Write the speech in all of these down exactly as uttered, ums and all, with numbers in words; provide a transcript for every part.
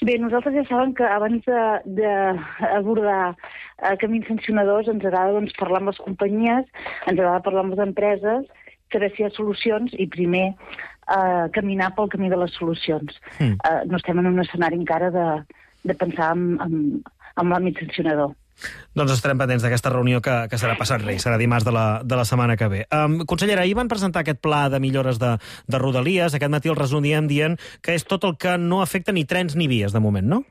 Bé, nosaltres ja saben que abans d'abordar eh, camins sancionadors ens agrada doncs, parlar amb les companyies, ens agrada parlar amb les empreses, saber si hi ha solucions i primer eh, caminar pel camí de les solucions. Mm. Eh, no estem en un escenari encara de, de pensar en, en, en l'àmbit sancionador. Doncs estarem pendents d'aquesta reunió que, que serà passat Reis, serà dimarts de la, de la setmana que ve. Um, consellera, ahir van presentar aquest pla de millores de, de Rodalies. Aquest matí el resumíem dient que és tot el que no afecta ni trens ni vies, de moment, no?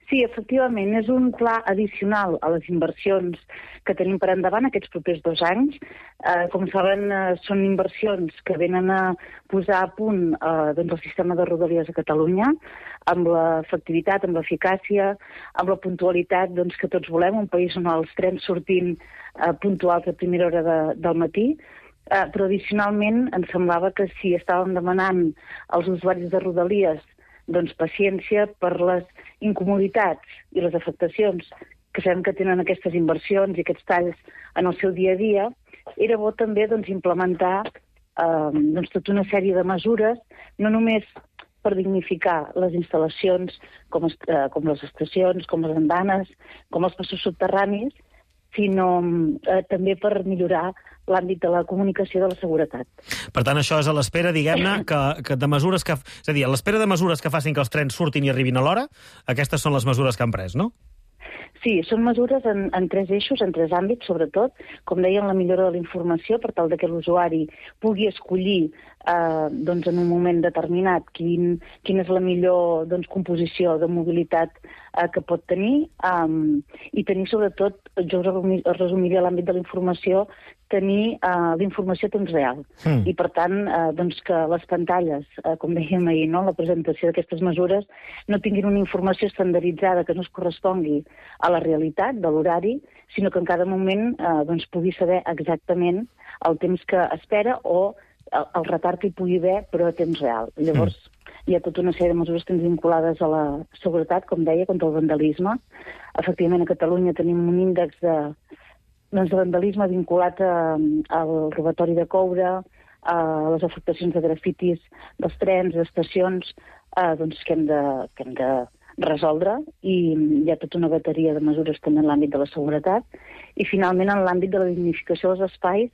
Sí, efectivament, és un pla addicional a les inversions que tenim per endavant aquests propers dos anys. Eh, com saben, eh, són inversions que venen a posar a punt eh, doncs el sistema de Rodalies a Catalunya, amb l'efectivitat, amb l'eficàcia, amb la puntualitat doncs, que tots volem, un país on els trens sortin eh, puntuals a primera hora de, del matí. Eh, però addicionalment ens semblava que si estàvem demanant als usuaris de Rodalies doncs paciència per les incomoditats i les afectacions que sabem que tenen aquestes inversions i aquests talls en el seu dia a dia, era bo també doncs, implementar eh, doncs, tota una sèrie de mesures, no només per dignificar les instal·lacions com, eh, com les estacions, com les andanes, com els passos subterranis, sinó eh, també per millorar l'àmbit de la comunicació de la seguretat. Per tant, això és a l'espera, diguem-ne, que, que de mesures que... És a dir, a l'espera de mesures que facin que els trens surtin i arribin a l'hora, aquestes són les mesures que han pres, no? Sí, són mesures en, en tres eixos, en tres àmbits, sobretot, com deien, la millora de la informació, per tal de que l'usuari pugui escollir eh, doncs, en un moment determinat quin, quina és la millor doncs, composició de mobilitat eh, que pot tenir, um, i tenir, sobretot, jo us resumiria l'àmbit de la informació, tenir uh, l'informació a temps real. Mm. I, per tant, uh, doncs que les pantalles, uh, com dèiem ahir, no?, la presentació d'aquestes mesures, no tinguin una informació estandarditzada que no es correspongui a la realitat de l'horari, sinó que en cada moment uh, doncs, pugui saber exactament el temps que espera o el, el retard que hi pugui haver, però a temps real. Llavors, mm. hi ha tota una sèrie de mesures que tenen vinculades a la seguretat, com deia, contra el vandalisme. Efectivament, a Catalunya tenim un índex de doncs de vandalisme vinculat a, al robatori de coure, a les afectacions de grafitis dels trens, d'estacions, eh, doncs que hem, de, que hem de resoldre, i hi ha tota una bateria de mesures també en l'àmbit de la seguretat, i finalment en l'àmbit de la dignificació dels espais,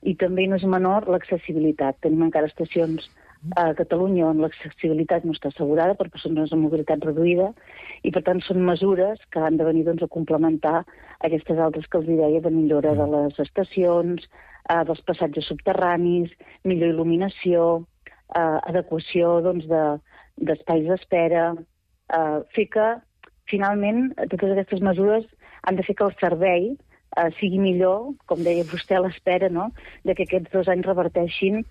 i també no és menor l'accessibilitat. Tenim encara estacions a Catalunya on l'accessibilitat no està assegurada per persones amb mobilitat reduïda, i per tant són mesures que han de venir doncs, a complementar aquestes altres que els deia de millora de les estacions, eh, dels passatges subterranis, millor il·luminació, eh, adequació doncs, de, d'espais d'espera, eh, fer que finalment totes aquestes mesures han de fer que el servei eh, sigui millor, com deia vostè a l'espera, no?, de que aquests dos anys reverteixin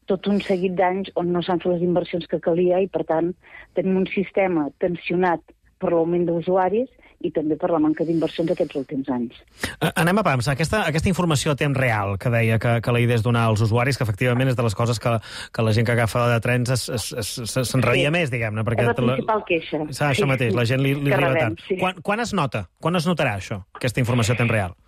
tot un seguit d'anys on no s'han fet les inversions que calia, i, per tant, tenim un sistema tensionat per l'augment d'usuaris i també per la manca d'inversions aquests últims anys. Anem a pams. Aquesta, aquesta informació a temps real que deia que, que la idea és donar als usuaris, que efectivament és de les coses que, que la gent que agafa de trens s'enraria sí. més, diguem-ne. És la principal queixa. Això sí, mateix, la gent li, li arriba tard. Sí. Quan, quan es nota? Quan es notarà això, aquesta informació a temps real?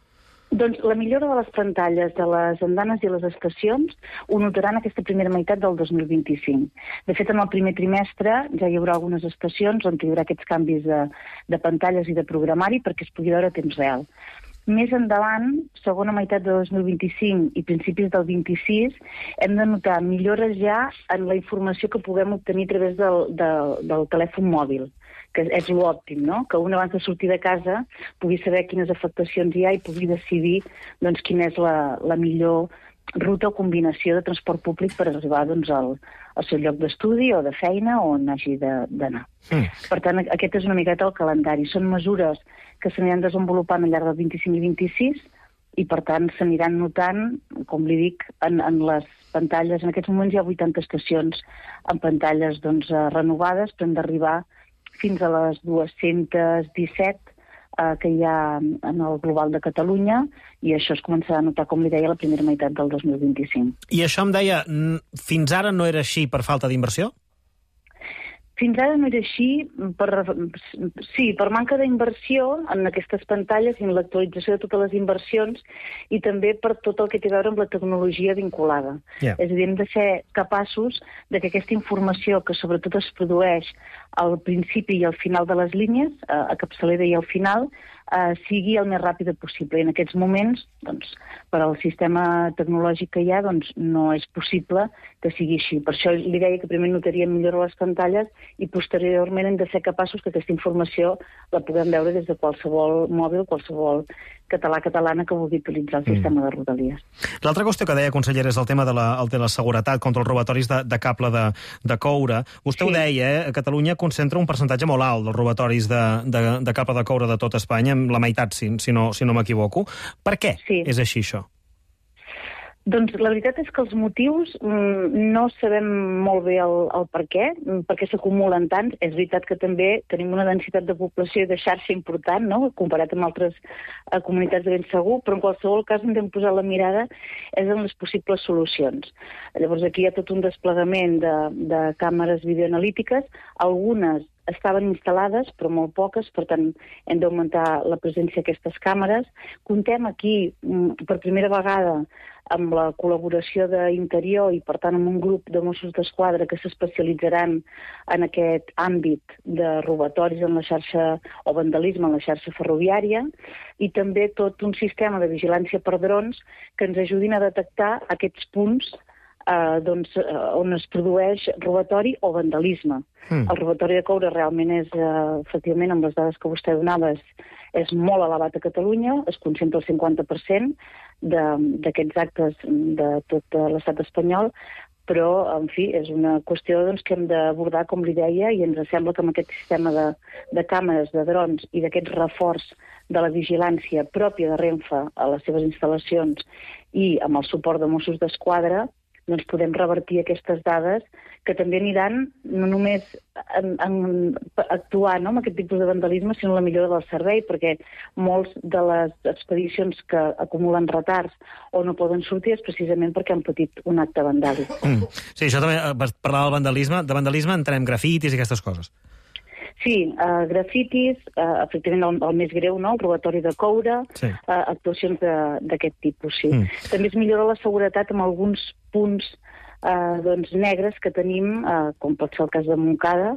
Doncs la millora de les pantalles de les andanes i les estacions ho notaran aquesta primera meitat del dos mil vint-i-cinc. De fet, en el primer trimestre ja hi haurà algunes estacions on hi haurà aquests canvis de, de pantalles i de programari perquè es pugui veure a temps real. Més endavant, segona meitat de dos mil vint-i-cinc i principis del vint-i-sis, hem de notar millores ja en la informació que puguem obtenir a través del, del, del telèfon mòbil, que és l'òptim, no?, que un abans de sortir de casa pugui saber quines afectacions hi ha i pugui decidir doncs, quina és la, la millor ruta o combinació de transport públic per arribar doncs, al, al seu lloc d'estudi o de feina o on hagi d'anar. Mm. Per tant, aquest és una miqueta el calendari. Són mesures que s'aniran desenvolupant al llarg del vint-i-cinc i vint-i-sis i, per tant, s'aniran notant, com li dic, en, en les pantalles. En aquests moments hi ha vuitanta estacions amb pantalles doncs, renovades, però hem d'arribar fins a les dues-centes disset eh, que hi ha en el global de Catalunya, i això es començarà a notar, com li deia, la primera meitat del dos mil vint-i-cinc. I això em deia, fins ara no era així per falta d'inversió? Fins ara no era així, per, sí, per manca d'inversió en aquestes pantalles i en l'actualització de totes les inversions i també per tot el que té a veure amb la tecnologia vinculada. Yeah. És a dir, hem de ser capaços de que aquesta informació, que sobretot es produeix al principi i al final de les línies, a capçalera i al final, eh, sigui el més ràpid possible. I en aquests moments, doncs, per al sistema tecnològic que hi ha, doncs, no és possible que sigui així. Per això li deia que primer notaríem millor les pantalles i posteriorment hem de ser capaços que aquesta informació la puguem veure des de qualsevol mòbil, qualsevol català catalana que vulgui utilitzar el sistema mm. de Rodalies. L'altra qüestió que deia, consellera, és el tema de la, el de la seguretat contra els robatoris de, de cable de, de coure. Vostè sí. ho deia, eh? Catalunya concentra un percentatge molt alt dels robatoris de, de, de cable de coure de tot Espanya, la meitat, si, si no, si no m'equivoco. Per què sí. és així, això? Doncs la veritat és que els motius mm, no sabem molt bé el, el per què, per què s'acumulen tants. És veritat que també tenim una densitat de població i de xarxa important, no?, comparat amb altres eh, comunitats de ben segur, però en qualsevol cas hem de posar la mirada és en les possibles solucions. Llavors aquí hi ha tot un desplegament de, de càmeres videoanalítiques, algunes estaven instal·lades, però molt poques, per tant hem d'augmentar la presència d'aquestes càmeres. Contem aquí, per primera vegada, amb la col·laboració d'Interior i, per tant, amb un grup de Mossos d'Esquadra que s'especialitzaran en aquest àmbit de robatoris en la xarxa o vandalisme en la xarxa ferroviària i també tot un sistema de vigilància per drons que ens ajudin a detectar aquests punts eh, doncs, eh, on es produeix robatori o vandalisme. Mm. El robatori de coure realment és, eh, efectivament, amb les dades que vostè donava, és, és molt elevat a Catalunya, es concentra el cinquanta per cent d'aquests actes de tot l'estat espanyol, però, en fi, és una qüestió doncs, que hem d'abordar, com li deia, i ens sembla que amb aquest sistema de, de càmeres, de drons i d'aquest reforç de la vigilància pròpia de Renfe a les seves instal·lacions i amb el suport de Mossos d'Esquadra, doncs podem revertir aquestes dades que també aniran no només en, en actuar no, amb aquest tipus de vandalisme, sinó la millora del servei, perquè molts de les expedicions que acumulen retards o no poden sortir és precisament perquè han patit un acte vandàlic. Mm. Sí, això també, per parlar del vandalisme, de vandalisme entenem grafitis i aquestes coses. Sí, uh, grafitis, uh, efectivament el, el més greu, no? El robatori de coure, sí. uh, actuacions d'aquest tipus, sí. Mm. També es millora la seguretat amb alguns punts uh, doncs, negres que tenim, uh, com pot ser el cas de Montcada,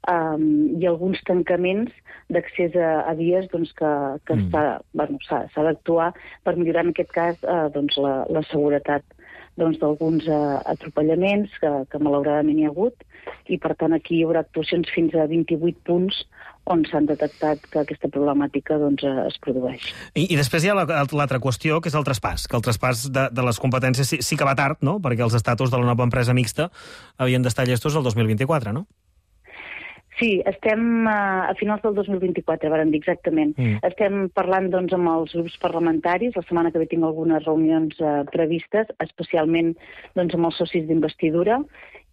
um, i alguns tancaments d'accés a, a vies doncs, que, que mm. s'ha bueno, d'actuar per millorar en aquest cas uh, doncs, la, la seguretat doncs, d'alguns uh, atropellaments que, que malauradament hi ha hagut, i per tant aquí hi haurà actuacions fins a vint-i-vuit punts on s'han detectat que aquesta problemàtica doncs, es produeix. I, i després hi ha l'altra qüestió, que és el traspàs, que el traspàs de, de les competències sí, sí que va tard, no?, perquè els estatus de la nova empresa mixta havien d'estar llestos el dos mil vint-i-quatre, no? Sí, estem a finals del dos mil vint-i-quatre, varen dir exactament. Mm. Estem parlant doncs, amb els grups parlamentaris. La setmana que ve tinc algunes reunions eh, previstes, especialment doncs, amb els socis d'investidura,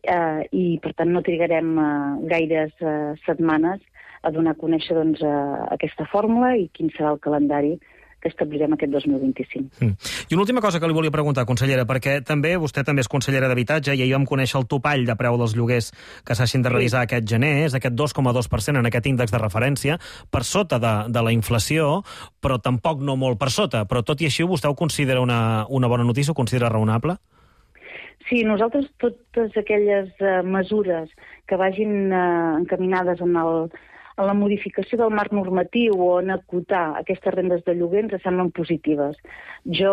eh, i per tant no trigarem eh, gaires eh, setmanes a donar a conèixer doncs, eh, aquesta fórmula i quin serà el calendari que establirem aquest dos mil vint-i-cinc. Mm. I una última cosa que li volia preguntar, consellera, perquè també vostè també és consellera d'Habitatge i ahir vam conèixer el topall de preu dels lloguers que s'hagin de revisar sí. aquest gener, és aquest dos coma dos per cent en aquest índex de referència, per sota de, de la inflació, però tampoc no molt per sota. Però tot i així, vostè ho considera una, una bona notícia, ho considera raonable? Sí, nosaltres totes aquelles uh, mesures que vagin uh, encaminades en el en la modificació del marc normatiu o en acotar aquestes rendes de lloguer ens semblen positives. Jo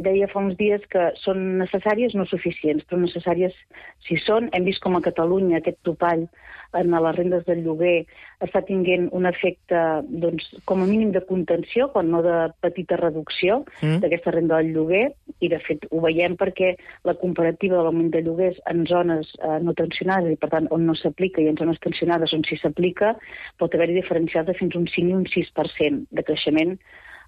deia fa uns dies que són necessàries, no suficients, però necessàries si són. Hem vist com a Catalunya aquest topall en les rendes del lloguer està tinguent un efecte, doncs, com a mínim de contenció, quan no de petita reducció mm. d'aquesta renda del lloguer, i de fet ho veiem perquè la comparativa de l'augment de lloguers en zones eh, no tensionades, i per tant on no s'aplica, i en zones tensionades on sí s'aplica, pot haver-hi diferencials de fins un cinc i un sis per cent de creixement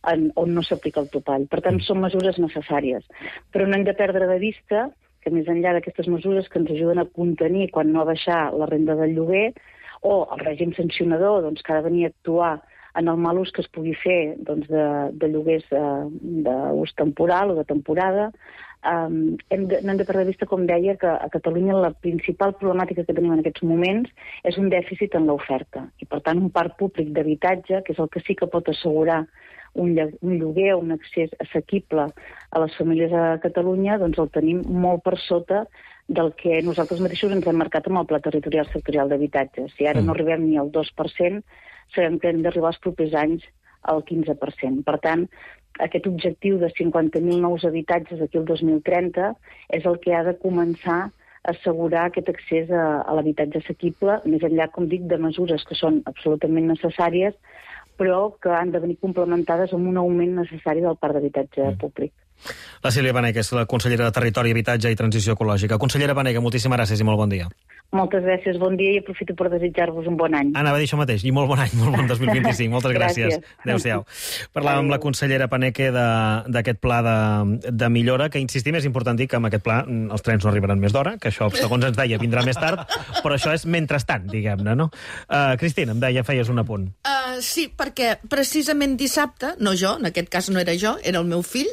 en, on no s'aplica el topall. Per tant, són mesures necessàries. Però no hem de perdre de vista que més enllà d'aquestes mesures que ens ajuden a contenir quan no a baixar la renda del lloguer o el règim sancionador doncs, que ha de venir a actuar en el mal ús que es pugui fer doncs, de, de lloguers eh, d'ús temporal o de temporada, Um, hem de, no hem de perdre de vista, com deia, que a Catalunya la principal problemàtica que tenim en aquests moments és un dèficit en l'oferta. I, per tant, un parc públic d'habitatge, que és el que sí que pot assegurar un, un lloguer o un accés assequible a les famílies a Catalunya, doncs el tenim molt per sota del que nosaltres mateixos ens hem marcat amb el Pla Territorial Sectorial d'Habitatge. Si ara no arribem ni al dos per cent, sabem que hem d'arribar els propers anys al quinze per cent. Per tant, aquest objectiu de cinquanta mil nous habitatges aquí el dos mil trenta és el que ha de començar a assegurar aquest accés a, a l'habitatge assequible, més enllà, com dic, de mesures que són absolutament necessàries, però que han de venir complementades amb un augment necessari del parc d'habitatge mm. públic. La Sílvia Banega és la consellera de Territori, Habitatge i Transició Ecològica. Consellera Banega, moltíssimes gràcies i molt bon dia. Moltes gràcies, bon dia, i aprofito per desitjar-vos un bon any. Anava a dir això mateix, i molt bon any, molt bon dos mil vint-i-cinc. Moltes gràcies. Adéu-siau. Parlàvem amb la consellera Paneque d'aquest pla de, de millora, que insistim, és important dir que amb aquest pla els trens no arribaran més d'hora, que això, segons ens deia, vindrà més tard, però això és mentrestant, diguem-ne, no? Uh, Cristina, em deia, feies un apunt. Uh, sí, perquè precisament dissabte, no jo, en aquest cas no era jo, era el meu fill,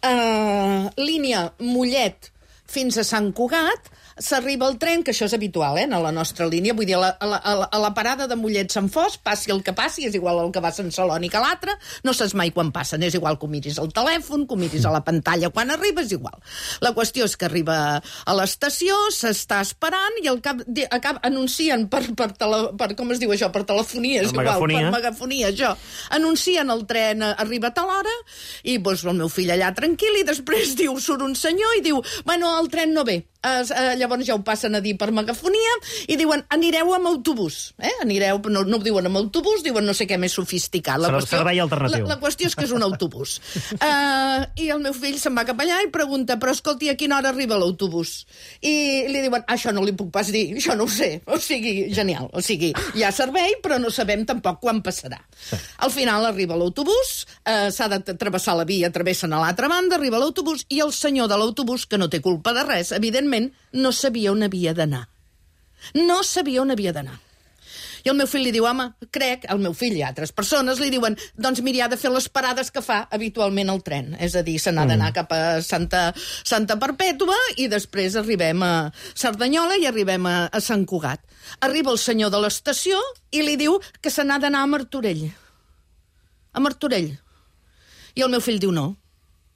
uh, línia Mollet fins a Sant Cugat, s'arriba el tren, que això és habitual, eh, a la nostra línia, vull dir, a la, a la, a la parada de Mollet-Sant Fos, passi el que passi, és igual el que va a Sant Celoni que l'altre, no saps mai quan passen, és igual que ho miris al telèfon, que ho miris a la pantalla quan arriba, és igual. La qüestió és que arriba a l'estació, s'està esperant, i al cap, de, cap anuncien per, per, tele, per, com es diu això, per telefonia, és per igual, megafonia. per megafonia, això. Anuncien el tren, arriba a tal hora, i doncs, el meu fill allà tranquil, i després diu, surt un senyor i diu, bueno, el tren no ve. Uh, uh, llavors ja ho passen a dir per megafonia i diuen, anireu amb autobús, eh? Anireu, no, no ho diuen amb autobús, diuen no sé què més sofisticat. La qüestió, servei alternatiu. La, la qüestió és que és un autobús. uh, I el meu fill se'n va cap allà i pregunta, però escolti, a quina hora arriba l'autobús? I li diuen, això no li puc pas dir, això no ho sé. O sigui, genial. O sigui, hi ha servei, però no sabem tampoc quan passarà. Sí. Al final arriba l'autobús, uh, s'ha de travessar la via, travessen a l'altra banda, arriba l'autobús, i el senyor de l'autobús, que no té culpa de res, evidentment, no sabia on havia d'anar. No sabia on havia d'anar. I el meu fill li diu, home, crec, el meu fill i altres persones li diuen, doncs mira, ha de fer les parades que fa habitualment el tren. És a dir, se n'ha d'anar cap a Santa, Santa Perpètua i després arribem a Cerdanyola i arribem a, a Sant Cugat. Arriba el senyor de l'estació i li diu que se n'ha d'anar a Martorell. A Martorell. I el meu fill diu, no.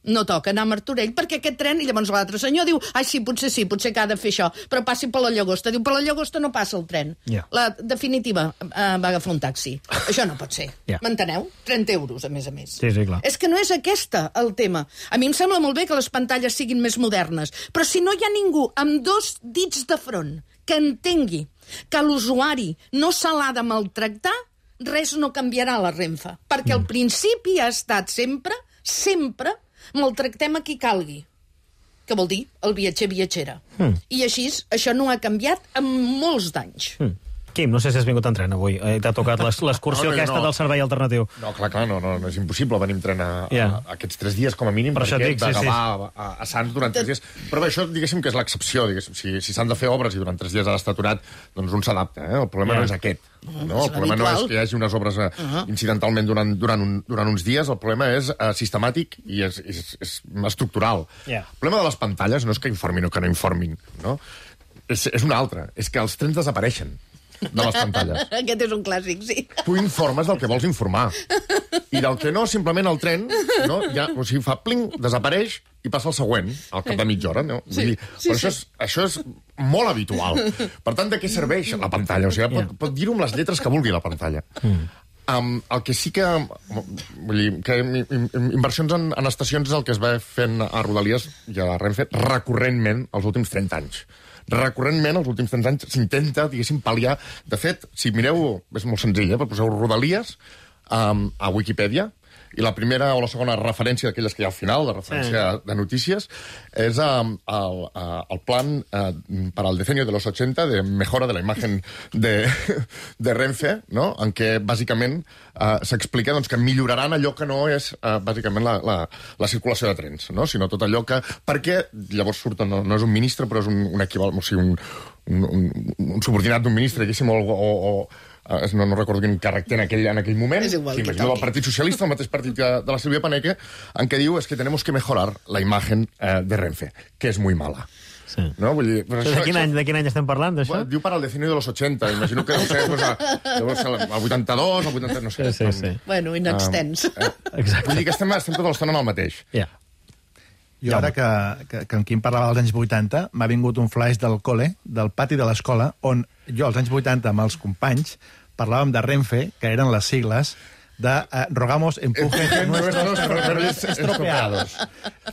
No toca anar a Martorell, perquè aquest tren... I llavors l'altre senyor diu, ai, sí, potser sí, potser que ha de fer això, però passi per la Llagosta. Diu, per la Llagosta no passa el tren. Yeah. La definitiva eh, va agafar un taxi. Això no pot ser. Yeah. M'enteneu? trenta euros, a més a més. Sí, sí, clar. És que no és aquesta el tema. A mi em sembla molt bé que les pantalles siguin més modernes, però si no hi ha ningú amb dos dits de front que entengui que l'usuari no se l'ha de maltractar, res no canviarà a la Renfe. Perquè mm. el principi ha estat sempre, sempre, maltractem a qui calgui, que vol dir el viatger viatgera. Mm. I així, això no ha canviat en molts d'anys. Mm. Quim, no sé si has vingut en tren avui. Eh, T'ha tocat l'excursió no, no, aquesta no. del servei alternatiu. No, clar, clar, no, no, no és impossible venir en tren a, yeah. a, a aquests tres dies, com a mínim, per perquè dic, sí, d'agavar sí. a, a Sants durant tres dies. Però bé, això, diguéssim, que és l'excepció. Si, si s'han de fer obres i durant tres dies ha d'estar aturat, doncs un s'adapta. Eh? El problema yeah. no és aquest. No? El problema no és que hi hagi unes obres uh -huh. incidentalment durant, durant, un, durant uns dies, el problema és uh, sistemàtic i és, és, és estructural. Yeah. El problema de les pantalles no és que informin o que no informin. No? És, és un altre. És que els trens desapareixen de les pantalles. Aquest és un clàssic, sí. Tu informes del que vols informar. I del que no, simplement el tren, no, ja, o sigui, fa pling, desapareix i passa el següent, al cap de mitja hora. No? Sí, Vull dir, sí, però sí. això és, això és molt habitual. Per tant, de què serveix la pantalla? O sigui, pot, pot dir-ho amb les lletres que vulgui, la pantalla. Mm. Um, el que sí que... Vull dir, que inversions en, en estacions és el que es va fent a Rodalies i a Renfe recurrentment els últims trenta anys. Recurrentment, els últims trenta anys, s'intenta, diguéssim, pal·liar. De fet, si mireu, és molt senzill, eh? Poseu Rodalies um, a Wikipedia, i la primera o la segona referència d'aquelles que hi ha al final, de referència sí. de notícies, és um, el, uh, el plan uh, per al decenio de los ochenta de mejora de la imagen de, de Renfe, no? En què, bàsicament, uh, s'explica doncs, que milloraran allò que no és, uh, bàsicament, la, la, la circulació de trens, no? Sinó tot allò que... Perquè, llavors surt, no, no és un ministre, però és un, un equivalent, o sigui, un, un, un, un subordinat d'un ministre, diguéssim, o, o, o no, no recordo quin càrrec té en aquell, en aquell moment, és igual, que imagino del Partit Socialista, el mateix partit que de la Silvia Paneque, en què diu es que tenemos que mejorar la imagen eh, de Renfe, que és muy mala. Sí. No? Vull dir, però això, de, quin any, de quin any estem parlant, d'això? Bueno, diu para el decenio de los ochenta, imagino que deu ser, pues, a, deu ser el vuitanta-dos, el vuitanta... no sé. Sí, sí, sí. Bueno, inextens. Um, eh, vull dir que estem, estem tota l'estona en el mateix. Ja. Yeah. Jo ara que, que, que en Quim parlava dels anys vuitanta, m'ha vingut un flash del col·le, del pati de l'escola, on jo als anys vuitanta amb els companys parlàvem de Renfe, que eren les sigles de uh, rogamos empujen nuestros ferrocarriles estropeados.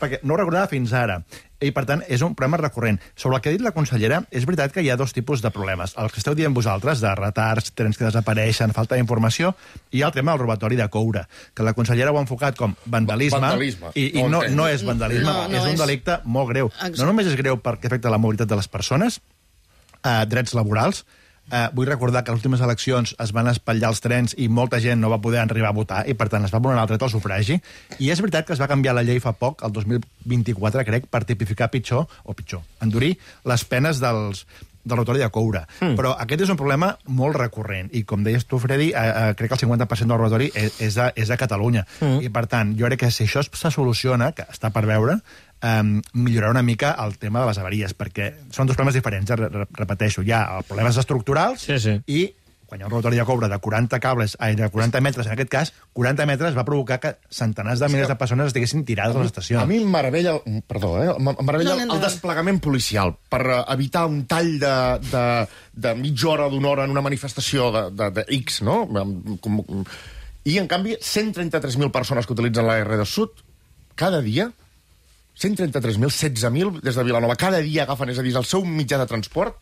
Perquè no ho recordava fins ara. I, per tant, és un problema recurrent. Sobre el que ha dit la consellera, és veritat que hi ha dos tipus de problemes. Els que esteu dient vosaltres, de retards, trens que desapareixen, falta d'informació, i el tema del robatori de coure, que la consellera ho ha enfocat com vandalisme, vandalisme. i, i no, no és vandalisme, no, no és un és... delicte molt greu. Exacte. No només és greu perquè afecta la mobilitat de les persones, eh, drets laborals. Eh, vull recordar que a les últimes eleccions es van espatllar els trens i molta gent no va poder arribar a votar i, per tant, es va vulnerar el dret al sufragi. I és veritat que es va canviar la llei fa poc, el dos mil vint-i-quatre, crec, per tipificar pitjor, o pitjor, endurir les penes dels, del robatori de coure. Mm. Però aquest és un problema molt recurrent. I, com deies tu, Freddy, eh, eh, crec que el cinquanta per cent del robatori és, és, a, és a Catalunya. Mm. I, per tant, jo crec que si això se soluciona, que està per veure, Um, millorar una mica el tema de les avaries, perquè són dos problemes diferents, eh? Re repeteixo, hi ha problemes estructurals sí, sí. i quan hi ha un robatori de coure de quaranta cables, ai, de quaranta metres, en aquest cas, quaranta metres va provocar que centenars de milers de persones estiguessin tirades a les estacions. A mi em meravella, perdó, eh, em meravella no, no, no. el desplegament policial per evitar un tall de, de, de mitja hora, d'una hora en una manifestació de, de, de X, no? Com, i, en canvi, cent trenta-tres mil persones que utilitzen la R dos Sud cada dia, cent trenta-tres mil, setze mil des de Vilanova, cada dia agafen, és a dir, el seu mitjà de transport,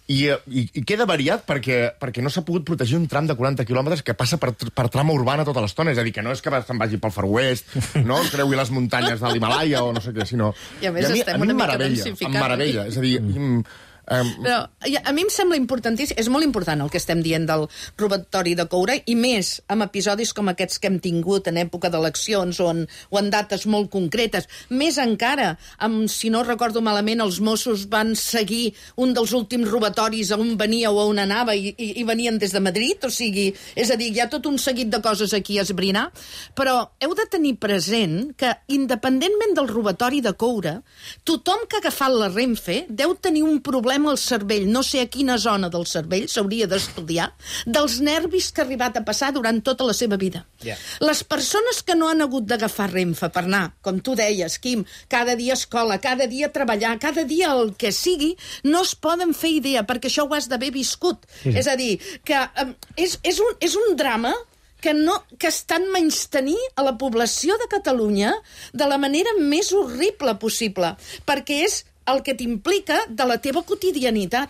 i, i, i queda variat perquè, perquè no s'ha pogut protegir un tram de quaranta quilòmetres que passa per, per trama urbana tota l'estona, és a dir, que no és que se'n vagi pel Far West, no creui les muntanyes de l'Himalaya o no sé què, sinó... I a més I a mi, estem a mi una mica meravella, densificant. em meravella, és a dir... Mm, Um... Però a mi em sembla importantíssim, és molt important el que estem dient del robatori de coure, i més amb episodis com aquests que hem tingut en època d'eleccions o, en, o en dates molt concretes. Més encara, amb, si no recordo malament, els Mossos van seguir un dels últims robatoris a on venia o a on anava i, i, i venien des de Madrid, o sigui, és a dir, hi ha tot un seguit de coses aquí a esbrinar, però heu de tenir present que, independentment del robatori de coure, tothom que ha agafat la Renfe deu tenir un problema al cervell, no sé a quina zona del cervell, s'hauria d'estudiar, dels nervis que ha arribat a passar durant tota la seva vida. Yeah. Les persones que no han hagut d'agafar Renfe per anar, com tu deies, Quim, cada dia a escola, cada dia a treballar, cada dia el que sigui, no es poden fer idea, perquè això ho has d'haver viscut. Mm. És a dir, que um, és, és, un, és un drama que, no, que estan menystenir a la població de Catalunya de la manera més horrible possible, perquè és el que t'implica de la teva quotidianitat.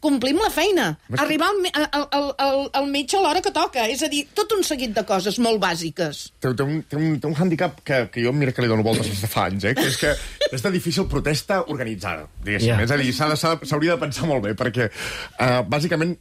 Complim la feina, arribar al, al, al, al, al metge a l'hora que toca, és a dir, tot un seguit de coses molt bàsiques. Té, té, un, té, un, té un handicap que, que jo mira que li dono voltes des de fa anys, eh? Que és que és de difícil protesta organitzada, diguéssim. Yeah. És a dir, s'hauria de pensar molt bé, perquè uh, bàsicament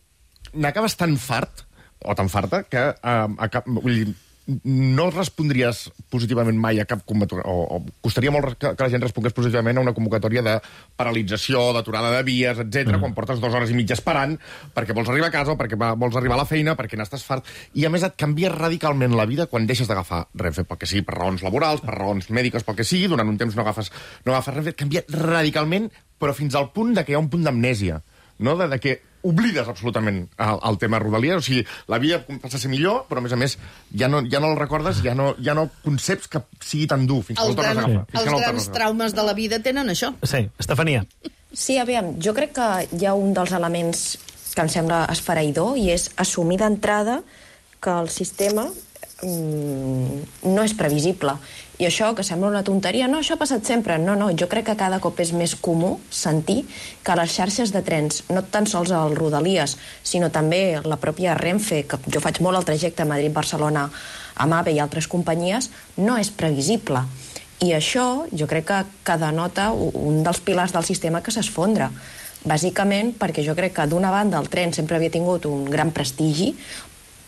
n'acabes tan fart, o tan farta, que uh, acab, vull dir, no respondries positivament mai a cap convocatòria, o, o costaria molt que, que la gent respongués positivament a una convocatòria de paralització, d'aturada de vies, etcètera, mm. quan portes dues hores i mitja esperant perquè vols arribar a casa o perquè vols arribar a la feina, perquè n'estàs fart. I, a més, et canvia radicalment la vida quan deixes d'agafar Renfe, pel que sigui, per raons laborals, per raons mèdiques, pel que sigui, durant un temps no agafes, no agafes Renfe, et canvia radicalment, però fins al punt de que hi ha un punt d'amnèsia, no? de, de que oblides absolutament el, el tema Rodalies, o sigui, la vida passa a ser millor, però a més a més ja no, ja no el recordes, ja no, ja no conceps que sigui tan dur fins que no el tornes a agafar. Els grans traumes de la vida tenen això. Sí, Estefania. Sí, aviam, jo crec que hi ha un dels elements que em sembla esfereïdor i és assumir d'entrada que el sistema mm, no és previsible. I això, que sembla una tonteria, no, això ha passat sempre. No, no, jo crec que cada cop és més comú sentir que les xarxes de trens, no tan sols el Rodalies, sinó també la pròpia Renfe, que jo faig molt el trajecte Madrid-Barcelona amb AVE i altres companyies, no és previsible. I això, jo crec que, que denota un dels pilars del sistema que s'esfondra. Bàsicament perquè jo crec que, d'una banda, el tren sempre havia tingut un gran prestigi,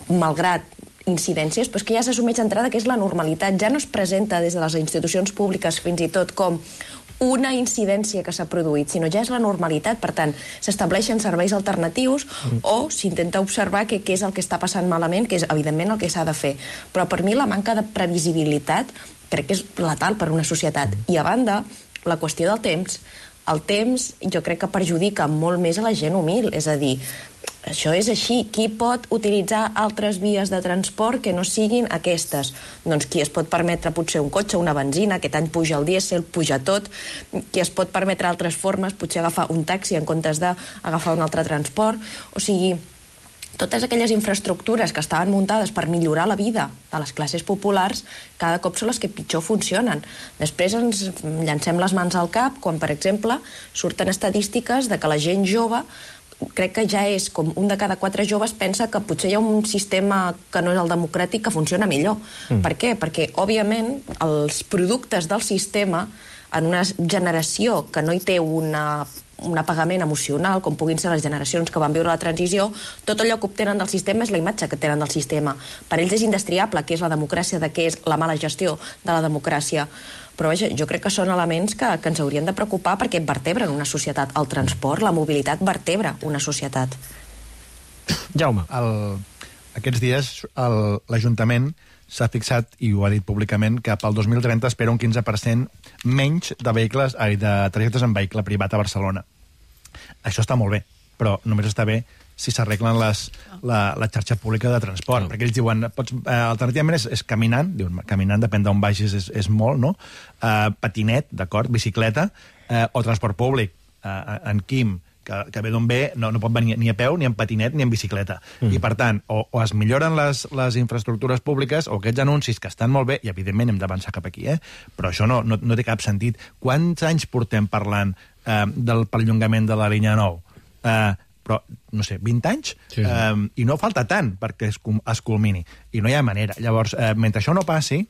malgrat incidències, però és que ja s'assumeix d'entrada que és la normalitat, ja no es presenta des de les institucions públiques fins i tot com una incidència que s'ha produït, sinó ja és la normalitat. Per tant, s'estableixen serveis alternatius mm. o s'intenta observar què és el que està passant malament, que és, evidentment, el que s'ha de fer. Però per mi la manca de previsibilitat crec que és letal per una societat. I a banda, la qüestió del temps. El temps jo crec que perjudica molt més a la gent humil, és a dir, això és així. Qui pot utilitzar altres vies de transport que no siguin aquestes? Doncs qui es pot permetre potser un cotxe, una benzina, aquest any puja el dièsel, puja tot. Qui es pot permetre altres formes, potser agafar un taxi en comptes d'agafar un altre transport. O sigui, totes aquelles infraestructures que estaven muntades per millorar la vida de les classes populars cada cop són les que pitjor funcionen. Després ens llancem les mans al cap quan, per exemple, surten estadístiques de que la gent jove, crec que ja és com un de cada quatre joves pensa que potser hi ha un sistema que no és el democràtic que funciona millor. Mm. Per què? Perquè, òbviament, els productes del sistema en una generació que no hi té una un apagament emocional, com puguin ser les generacions que van viure la transició, tot allò que obtenen del sistema és la imatge que tenen del sistema. Per ells és indestriable què és la democràcia, de què és la mala gestió de la democràcia. Però vaja, jo crec que són elements que, que ens haurien de preocupar perquè vertebren una societat. El transport, la mobilitat, vertebra una societat. Jaume. El, aquests dies l'Ajuntament s'ha fixat, i ho ha dit públicament, que pel dos mil trenta espera un quinze per cent menys de vehicles, ai, de trajectes en vehicle privat a Barcelona. Això està molt bé, però només està bé si s'arreglen les, la, la xarxa pública de transport. Oh. Perquè ells diuen, pots, eh, alternativament és, és caminant, diuen, caminant, depèn d'on vagis, és, és molt, no? Eh, patinet, d'acord, bicicleta, eh, o transport públic. Eh, en Quim, que, que ve d'on ve, no, no pot venir ni a peu, ni en patinet, ni en bicicleta. Mm. I, per tant, o, o es milloren les, les infraestructures públiques, o aquests anuncis que estan molt bé, i, evidentment, hem d'avançar cap aquí, eh? Però això no, no, no té cap sentit. Quants anys portem parlant eh, del perllongament de la línia nou? Eh, però, no sé, vint anys? Sí, sí. Eh, I no falta tant perquè es, es culmini. I no hi ha manera. Llavors, eh, mentre això no passi,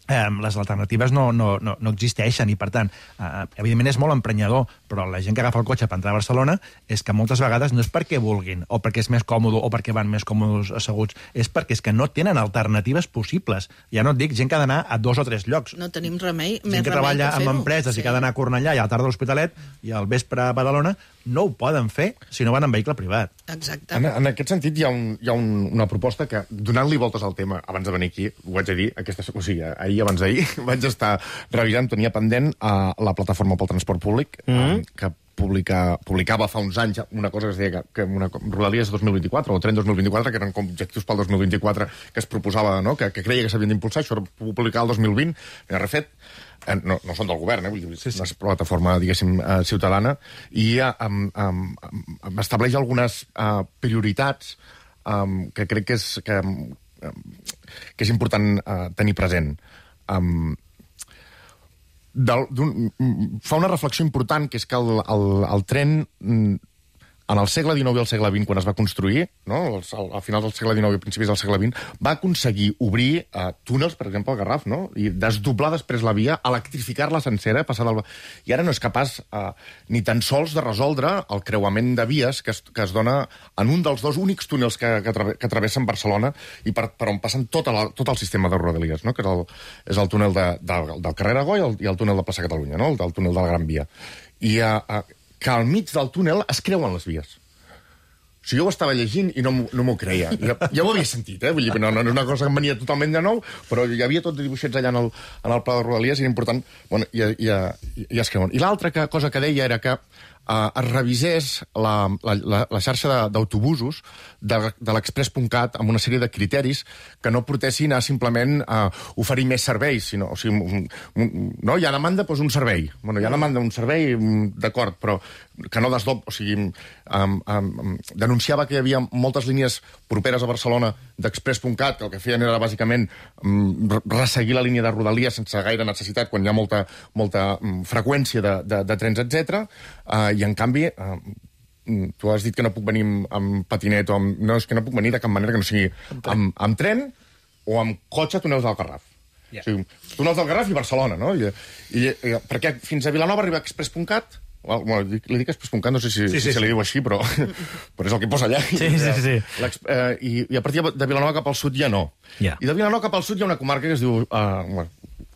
Eh, les alternatives no, no, no, no existeixen i, per tant, eh, evidentment és molt emprenyador, però la gent que agafa el cotxe per entrar a Barcelona és que moltes vegades no és perquè vulguin o perquè és més còmode o perquè van més còmodes asseguts, és perquè és que no tenen alternatives possibles. Ja no et dic gent que ha d'anar a dos o tres llocs. No tenim remei, gent més que remei treballa que en empreses sí. I que ha d'anar a Cornellà i a la tarda a l'Hospitalet i al vespre a Badalona, no ho poden fer si no van en vehicle privat. Exacte. En, en aquest sentit, hi ha, un, hi ha un, una proposta que, donant-li voltes al tema, abans de venir aquí, ho haig de dir, aquesta, o sigui, ahir, abans d'ahir, vaig estar revisant, tenia pendent a la plataforma pel transport públic, mm-hmm. eh, que publica, publicava fa uns anys una cosa que es deia que, que una Rodalies dos mil vint-i-quatre o Tren dos mil vint-i-quatre, que eren com objectius pel dos mil vint-i-quatre que es proposava, no? que, que creia que s'havien d'impulsar, això era publicar el dos mil vint, n'ha refet, eh, no, no són del govern, eh? Vull dir, sí, sí. Una plataforma, diguéssim, eh, ciutadana, i eh, um, um, um, estableix algunes uh, prioritats um, que crec que és, que, um, que és important uh, tenir present. Um, del, fa una reflexió important, que és que el, el, el tren, en el segle dinou i el segle vint, quan es va construir, no? al, al final del segle dinou i principis del segle vint, va aconseguir obrir uh, túnels, per exemple, al Garraf, no? I desdoblar després la via, electrificar-la sencera, passar del... I ara no és capaç uh, ni tan sols de resoldre el creuament de vies que es, que es dona en un dels dos únics túnels que, que, trave, que travessen Barcelona i per, per on passen tot, la, tot el sistema de Rodalies, no? Que és el, és el túnel de, de, del carrer Aragó i el, i el túnel de Plaça Catalunya, no? El, el túnel de la Gran Via. I uh, uh, que al mig del túnel es creuen les vies. O sigui, jo ho estava llegint i no, no m'ho creia. Ja, ja ho havia sentit, eh? Vull dir, no, no és una cosa que em venia totalment de nou, però hi havia tots dibuixets allà en el, en el pla de Rodalies i era important... Bueno, i, i, i, i es creuen. I l'altra que, cosa que deia era que eh, es revisés la, la, la, la xarxa d'autobusos de, de l'express punt cat amb una sèrie de criteris que no portessin a simplement a oferir més serveis, sinó, o sigui, un, un, no, hi ha demanda, doncs un servei. Bueno, hi ha demanda un servei, d'acord, però que no desdob... O sigui, um, um, denunciava que hi havia moltes línies properes a Barcelona d'express punt cat, que el que feien era bàsicament um, resseguir la línia de Rodalies sense gaire necessitat, quan hi ha molta, molta um, freqüència de, de, de trens, etcètera. Uh, I, en canvi... Uh, tu has dit que no puc venir amb, amb patinet o amb... No, és que no puc venir de cap manera que no sigui amb, amb tren o amb cotxe a túnels del Garraf. Yeah. O sigui, túnels del Garraf i Barcelona, no? I, i, i, perquè fins a Vilanova arriba express punt cat, bueno, li dic express punt cat, no sé si, sí, sí, si se li diu així, però, però és el que posa allà. Sí, sí, sí. Eh, i, I a partir de Vilanova cap al sud ja no. Yeah. I de Vilanova cap al sud hi ha una comarca que es diu... Uh, bueno,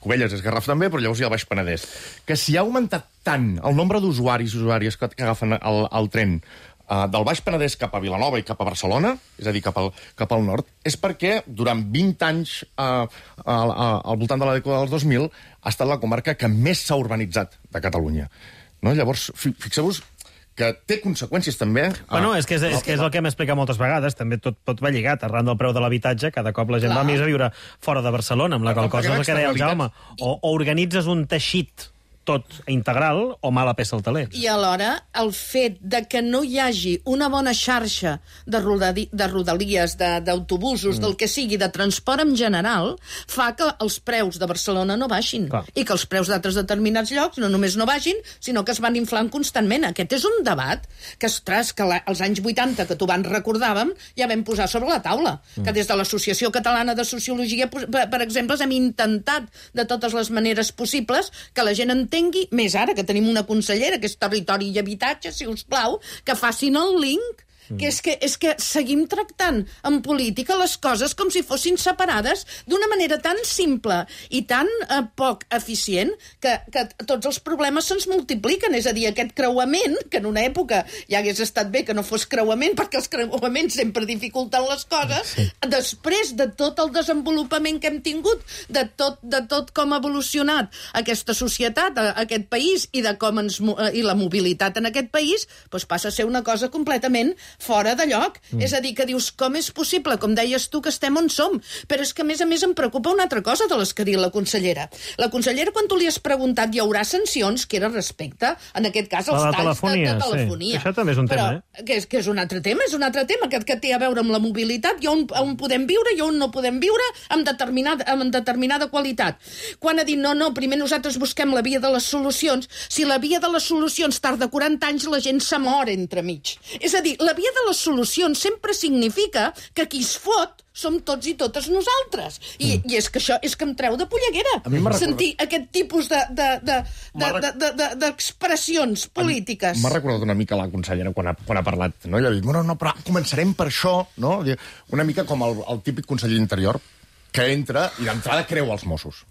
Cubelles és Garraf també, però llavors hi ha el Baix Penedès. Que si ha augmentat tant el nombre d'usuaris i usuàries que, que agafen el, el tren uh, del Baix Penedès cap a Vilanova i cap a Barcelona, és a dir, cap al, cap al nord, és perquè durant vint anys uh, al, al voltant de la dècada dels dos mil ha estat la comarca que més s'ha urbanitzat de Catalunya. No? Llavors, fixeu-vos que té conseqüències també... Bueno, és que és, és, que és el que hem explicat moltes vegades, també tot pot va lligat, arran del preu de l'habitatge, cada cop la gent Clar. va més a viure fora de Barcelona, amb la qual cosa és el que deia el Jaume. O, o organitzes un teixit tot integral o mala peça al taler. I alhora, el fet de que no hi hagi una bona xarxa de, rodadi, de rodalies, d'autobusos, de, mm. del que sigui, de transport en general, fa que els preus de Barcelona no baixin. Clar. I que els preus d'altres determinats llocs no només no baixin, sinó que es van inflant constantment. Aquest és un debat que, ostres, que la, als anys vuitanta, que tu abans recordàvem, ja vam posar sobre la taula. Mm. Que des de l'Associació Catalana de Sociologia, per, per exemple, hem intentat de totes les maneres possibles que la gent entengui, més ara que tenim una consellera que és Territori i Habitatge, si us plau, que facin el link, que és que, és que seguim tractant en política les coses com si fossin separades d'una manera tan simple i tan eh, poc eficient que, que tots els problemes se'ns multipliquen. És a dir, aquest creuament, que en una època ja hagués estat bé que no fos creuament, perquè els creuaments sempre dificulten les coses, sí. Després de tot el desenvolupament que hem tingut, de tot, de tot com ha evolucionat aquesta societat, aquest país, i de com ens, i la mobilitat en aquest país, doncs passa a ser una cosa completament fora de lloc. Mm. És a dir, que dius, com és possible, com deies tu, que estem on som? Però és que, a més a més, em preocupa una altra cosa de les que ha dit la consellera. La consellera, quan tu li has preguntat, hi haurà sancions, que era respecte, en aquest cas, als talls telefonia, de, de telefonia. Sí. Això també és un Però, tema, eh? Que és, que és un altre tema, és un altre tema, que, que té a veure amb la mobilitat, i on, on podem viure i on no podem viure, amb determinada, amb determinada qualitat. Quan ha dit, no, no, primer nosaltres busquem la via de les solucions, si la via de les solucions tarda quaranta anys, la gent se mor entremig. És a dir, la via de les solucions sempre significa que qui es fot som tots i totes nosaltres. I, mm. i és que això és que em treu de polleguera. Sentir aquest tipus de, de, de, de, de, de, de, d'expressions polítiques. M'ha recordat una mica la consellera quan ha, quan ha parlat, no? Ella ha dit, no, no, però començarem per això, no? Una mica com el, el típic conseller d'Interior que entra i d'entrada creu els Mossos.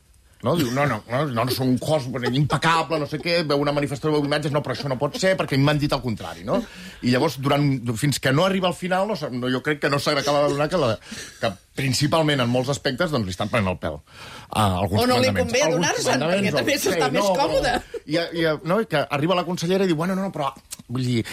No? Diu, no, no, no, no, no són un cos impecable, no sé què, veu una manifestació, veu imatges, no, però això no pot ser, perquè m'han dit el contrari, no? I llavors, durant, fins que no arriba al final, no, no, jo crec que no s'acaba de donar que, la, que principalment en molts aspectes doncs, li estan prenent el pèl. Uh, o no li convé adonar-se'n, perquè també s'està sí, més no, còmode. I, i, no, i que arriba la consellera i diu, bueno, no, no, però vull dir,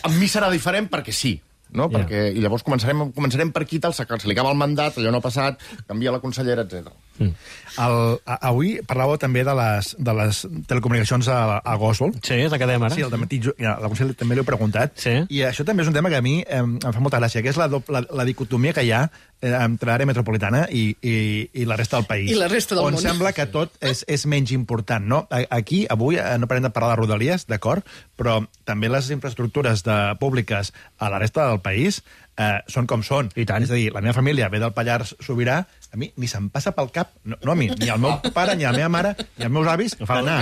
amb mi serà diferent perquè sí. No? Yeah. Perquè, i llavors començarem, començarem per aquí, tal, se li acaba el mandat, allò no ha passat, canvia la consellera, etcètera. Mm. El, a, avui parlàveu també de les, de les telecomunicacions a, a Gòsol. Sí, és la que dèiem ara. Sí, el dematí, ja, la consellera també l'heu preguntat. Sí. I això també és un tema que a mi eh, em fa molta gràcia, que és la, la, la dicotomia que hi ha eh, entre l'àrea metropolitana i, i, i la resta del país. I la resta del on món. On sembla que tot és, és menys important, no? Aquí, avui, no parem de parlar de Rodalies, d'acord, però també les infraestructures de, públiques a la resta del país Eh, són com són. I tant. És a dir, la meva família ve del Pallars Sobirà, a mi ni se'm passa pel cap, no, no a mi, ni al meu pare, ni a la meva mare, ni als meus avis, anar.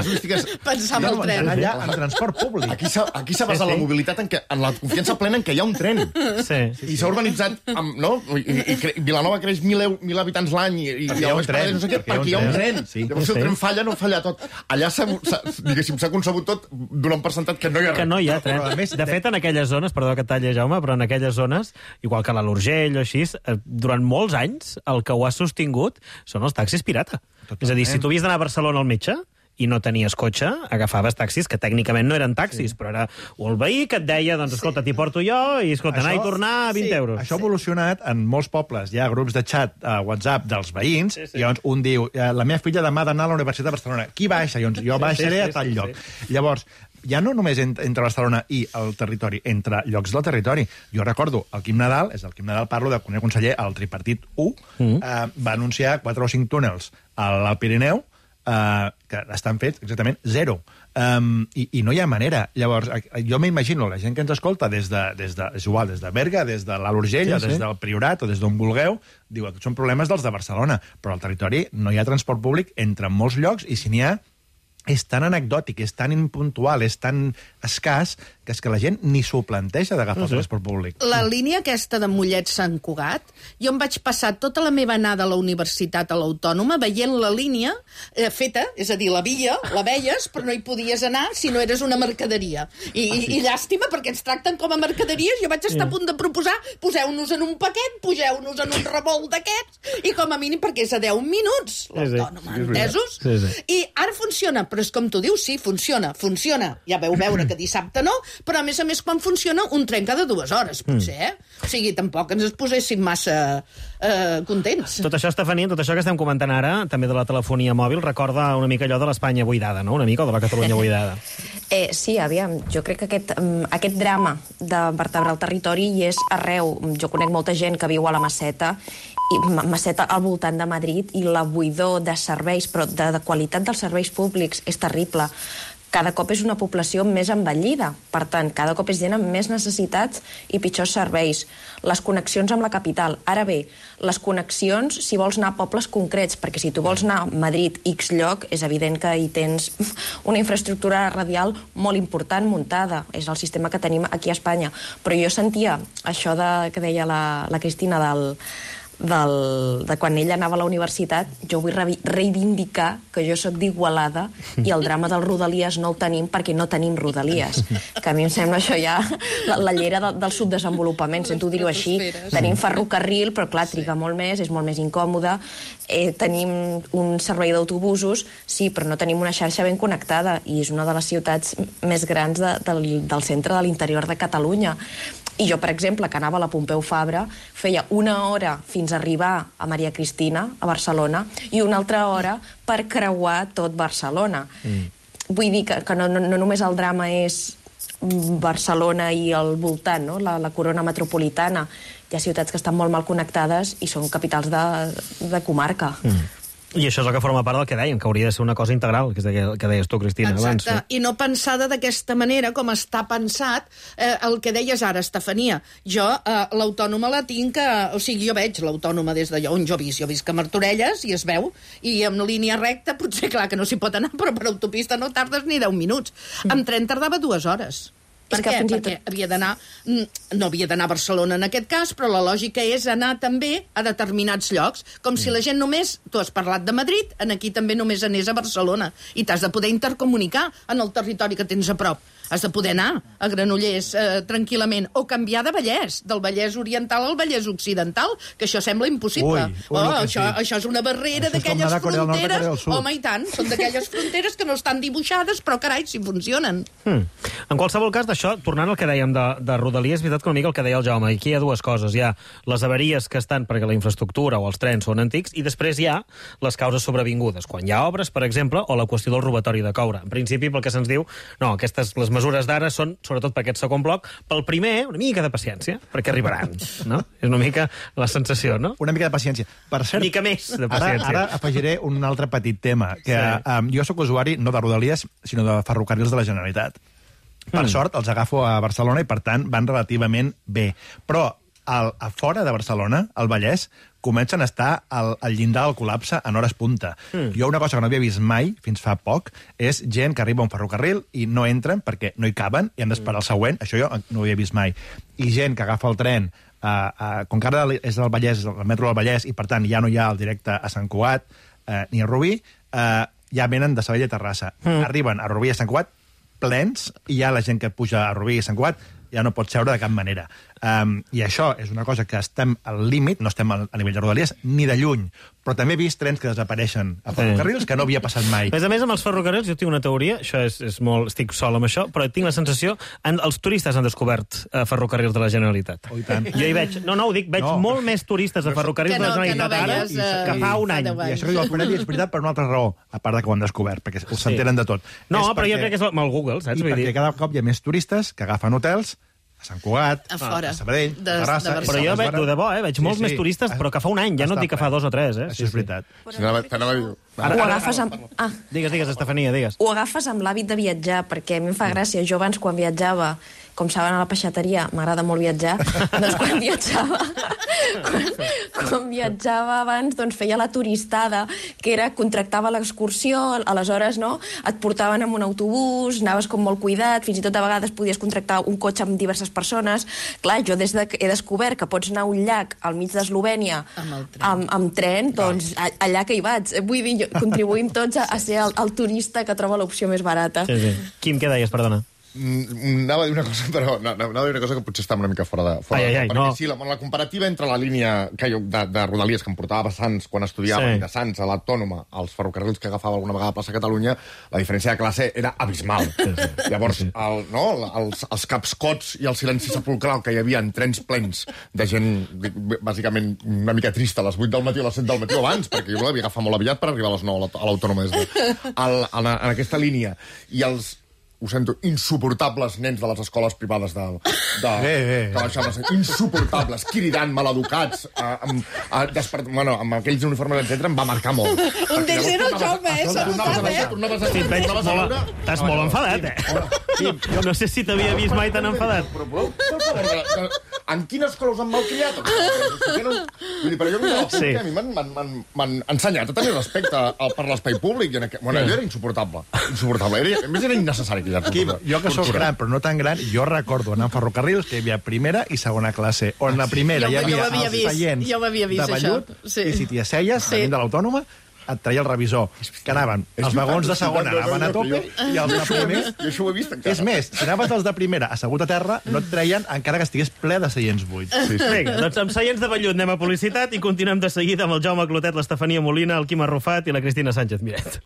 Pensar en el tren. Anar allà en transport públic. Aquí s'ha aquí s'ha basat sí, sí. la mobilitat en, que, en la confiança plena en què hi ha un tren. Sí, sí, I s'ha urbanitzat, amb, no? I, i, i Vilanova creix mil, mil habitants l'any i, i hi ha un tren. No sé què, perquè hi ha un tren. Sí, llavors, si el tren falla, no falla tot. Allà s'ha, diguéssim, s'ha concebut tot donant per sentat que no hi ha res. Que no hi ha tren. De fet, en aquelles zones, perdó que talli, Jaume, però en aquelles zones, igual que a l'Urgell o així, durant molts anys el que ho ha sostingut són els taxis pirata. Totalment. És a dir, si tu havies d'anar a Barcelona al metge i no tenies cotxe, agafaves taxis que tècnicament no eren taxis, sí. però era el veí que et deia, doncs escolta, t'hi porto jo, i escolta, anar i tornar a vint sí, euros. Això ha evolucionat en molts pobles. Hi ha grups de xat a WhatsApp dels veïns, sí, sí. i llavors un diu, la meva filla demà ha d'anar a la Universitat de Barcelona. Qui baixa? Llavors, jo baixaré sí, sí, a tal sí, lloc. Sí. Llavors, ja no només entre Barcelona i el territori, entre llocs del territori. Jo recordo, el Quim Nadal, és el Quim Nadal, parlo de quan era conseller, el tripartit u, mm. eh, va anunciar quatre o cinc túnels al Pirineu, eh, que estan fets exactament zero. Um, i, I no hi ha manera. Llavors, jo m'imagino la gent que ens escolta des de, des de, és igual, des de Berga, des de l'Alt Urgell, sí, sí. des del Priorat o des d'on vulgueu, diu que són problemes dels de Barcelona, però al territori no hi ha transport públic entre molts llocs, i si n'hi ha és tan anecdòtic, és tan impuntual, és tan escàs, que és que la gent ni s'ho planteja d'agafar el transport públic. La línia aquesta de Mollet-Sant Cugat, jo em vaig passar tota la meva anada a la universitat a l'Autònoma veient la línia eh, feta, és a dir, la via, la veies, però no hi podies anar si no eres una mercaderia. I, ah, sí. i llàstima, perquè ens tracten com a mercaderies. Jo vaig estar a punt de proposar, poseu-nos en un paquet, poseu-nos en un revolt d'aquests, i com a mínim, perquè és a deu minuts, l'Autònoma, sí, sí. entesos? Sí, sí. I ara funciona, però és com tu dius, sí, funciona, funciona. Ja veu veure que dissabte no, però a més a més quan funciona un tren cada dues hores, potser, eh? O sigui, tampoc ens es poséssim massa eh, contents. Tot això, Estefania, tot això que estem comentant ara, també de la telefonia mòbil, recorda una mica allò de l'Espanya buidada, no? Una mica, o de la Catalunya buidada. Eh, sí, aviam, jo crec que aquest, um, aquest drama de vertebrar el territori hi és arreu. Jo conec molta gent que viu a la Maceta, i Maceta al voltant de Madrid, i la buidor de serveis, però de, de qualitat dels serveis públics és terrible. Cada cop és una població més envellida. Per tant, cada cop és gent amb més necessitats i pitjors serveis. Les connexions amb la capital. Ara bé, les connexions, si vols anar a pobles concrets, perquè si tu vols anar a Madrid X lloc, és evident que hi tens una infraestructura radial molt important muntada. És el sistema que tenim aquí a Espanya. Però jo sentia això de, que deia la, la Cristina del... Del, de quan ella anava a la universitat, jo vull re reivindicar que jo sóc d'Igualada i el drama del Rodalies no el tenim perquè no tenim Rodalies. Que a mi em sembla això ja la, la llera de, del subdesenvolupament, sento dir-ho així. Tenim ferrocarril, però clar, triga molt més, és molt més incòmode. Eh, tenim un servei d'autobusos, sí, però no tenim una xarxa ben connectada i és una de les ciutats més grans de, del, del centre de l'interior de Catalunya. I jo, per exemple, que anava a la Pompeu Fabra, feia una hora fins a arribar a Maria Cristina, a Barcelona, i una altra hora per creuar tot Barcelona. Mm. Vull dir que, que no, no, no només el drama és Barcelona i el voltant, no? la, la corona metropolitana. Hi ha ciutats que estan molt mal connectades i són capitals de, de comarca. Mm. I això és el que forma part del que dèiem, que hauria de ser una cosa integral, que és el que deies tu, Cristina, abans. Exacte, i no pensada d'aquesta manera com està pensat eh, el que deies ara, Estefania. Jo eh, l'autònoma la tinc, eh, o sigui, jo veig l'autònoma des d'allò on jo visc. Jo visc a Martorelles i es veu, i amb línia recta potser, clar, que no s'hi pot anar, però per autopista no tardes ni deu minuts. Mm. Amb tren tardava dues hores. Per què? Perquè havia d'anar, no havia d'anar a Barcelona en aquest cas, però la lògica és anar també a determinats llocs, com si la gent només, tu has parlat de Madrid, en aquí també només anés a Barcelona, i t'has de poder intercomunicar en el territori que tens a prop. Has de poder anar a Granollers eh, tranquil·lament, o canviar de Vallès, del Vallès Oriental al Vallès Occidental, que això sembla impossible. Ui, ui, oh, no, això, sí. això és una barrera d'aquelles fronteres. Home, i tant, són d'aquelles fronteres que no estan dibuixades, però carai, si funcionen. Hmm. En qualsevol cas, d'això, tornant al que dèiem de, de Rodalies, és veritat que una mica el que deia el Jaume, aquí hi ha dues coses. Hi ha les avaries que estan perquè la infraestructura o els trens són antics, i després hi ha les causes sobrevingudes, quan hi ha obres, per exemple, o la qüestió del robatori de coure. En principi, pel que se'ns diu, no, aquestes, les mesures d'ara són, sobretot per aquest segon bloc, pel primer, una mica de paciència, perquè arribaran, no? És una mica la sensació, no? Una mica de paciència. Per cert, una mica més de paciència. Ara, ara afegiré un altre petit tema, que sí. um, jo sóc usuari no de Rodalies, sinó de ferrocarrils de la Generalitat. Per mm. sort, els agafo a Barcelona i, per tant, van relativament bé. Però al, a fora de Barcelona, al Vallès, comencen a estar al, al llindar del col·lapse en hores punta. Mm. Jo una cosa que no havia vist mai, fins fa poc, és gent que arriba a un ferrocarril i no entren perquè no hi caben i han d'esperar el següent. Això jo no ho havia vist mai. I gent que agafa el tren, uh, uh, com que ara és del Vallès, el metro del Vallès, i per tant ja no hi ha el directe a Sant Cugat uh, ni a Rubí, uh, ja venen de Sabadell a Terrassa. Mm. Arriben a Rubí i a Sant Cugat plens, i ja la gent que puja a Rubí i a Sant Cugat ja no pot seure de cap manera. Um, I això és una cosa que estem al límit, no estem a nivell de Rodalies, ni de lluny, però també he vist trens que desapareixen a ferrocarrils que no havia passat mai. A més a més, amb els ferrocarrils, jo tinc una teoria, això és, és molt, estic sol amb això, però tinc la sensació, en, els turistes han descobert uh, ferrocarrils de la Generalitat. Oh, i tant. Jo hi veig, no, no, ho dic, veig no. molt més turistes a ferrocarrils no, de la Generalitat que no veies, ara uh, que fa un any. I això que diu el Conelli és veritat per una altra raó, a part de que ho han descobert, perquè ho s'entenen sí. de tot. No, és però perquè... jo crec que és amb el Google, saps? I Vull perquè dir... cada cop hi ha més turistes que agafen hotels a Sant Cugat, a, fora, a Sabadell, de, a Terrassa... de però jo veig, de bo, eh? Veig molts sí, sí. més turistes, però que fa un any, ja no et dic que fa dos o tres, eh? Això és veritat. Sí, sí. Ara, ho agafes amb... Ah. Digues, digues, Estefania, digues. Ho agafes amb l'hàbit de viatjar, perquè a mi em fa gràcia. Jo abans, quan viatjava, com saben a la peixateria, m'agrada molt viatjar, doncs quan viatjava... Quan, quan viatjava abans, doncs feia la turistada, que era, contractava l'excursió, aleshores, no?, et portaven amb un autobús, anaves com molt cuidat, fins i tot a vegades podies contractar un cotxe amb diverses persones. Clar, jo des de que he descobert que pots anar a un llac al mig d'Eslovènia amb, amb, amb tren, doncs allà que hi vaig. Vull dir, contribuïm tots a, a ser el, el turista que troba l'opció més barata. Sí, sí. Quim, què deies, perdona? Mm, anava a dir una cosa, però no, anava a dir una cosa que potser està una mica fora de... Fora ai, ai, ai, de, perquè no. sí, la, la comparativa entre la línia que jo, de, de Rodalies que em portava a Sants quan estudiava, sí. de Sants a l'Autònoma, als ferrocarrils que agafava alguna vegada a plaça Catalunya, la diferència de classe era abismal. Sí, sí. Llavors, el, no, els, els capscots i el silenci sepulcral que hi havia en trens plens de gent, bàsicament, una mica trista a les vuit del matí o a les set del matí o abans, perquè jo l'havia agafat molt aviat per arribar a les nou a l'Autònoma des de, al, en, en aquesta línia. I els ho sento, insuportables nens de les escoles privades de, de, bé, bé. que baixaven, insuportables, cridant, maleducats, a, amb, a, despert... bueno, amb aquells uniformes, etcètera, em va marcar molt. Un de zero jove, eh? Tornaves a veure, tornaves a Sí, et veig molt... Estàs molt enfadat, eh? Sí, jo no sé si t'havia vist mai tan enfadat. Però, però, per favor, en quina escola us han malcriat? Vull dir, però jo no sí. a mi m'han ensenyat a tenir respecte per l'espai públic. Bueno, allò era insuportable. Insuportable. Era, a més, era innecessari. Quim, jo que sóc gran, però no tan gran, jo recordo anar a ferrocarrils que hi havia primera i segona classe, on la primera jo, hi havia els vist, seients jo vist, de vellut, sí. i si t'hi asseies, sí. venint de l'Autònoma, et traia el revisor, que anaven, els vagons de segona anaven a tope, i els de primer... Jo això ho he vist encara. És més, si anaves els de primera assegut a terra, no et treien encara que estigués ple de seients buits. Sí, sí. Vinga, doncs amb seients de vellut anem a publicitat i continuem de seguida amb el Jaume Clotet, l'Estefania Molina, el Quim Arrufat i la Cristina Sánchez Miret.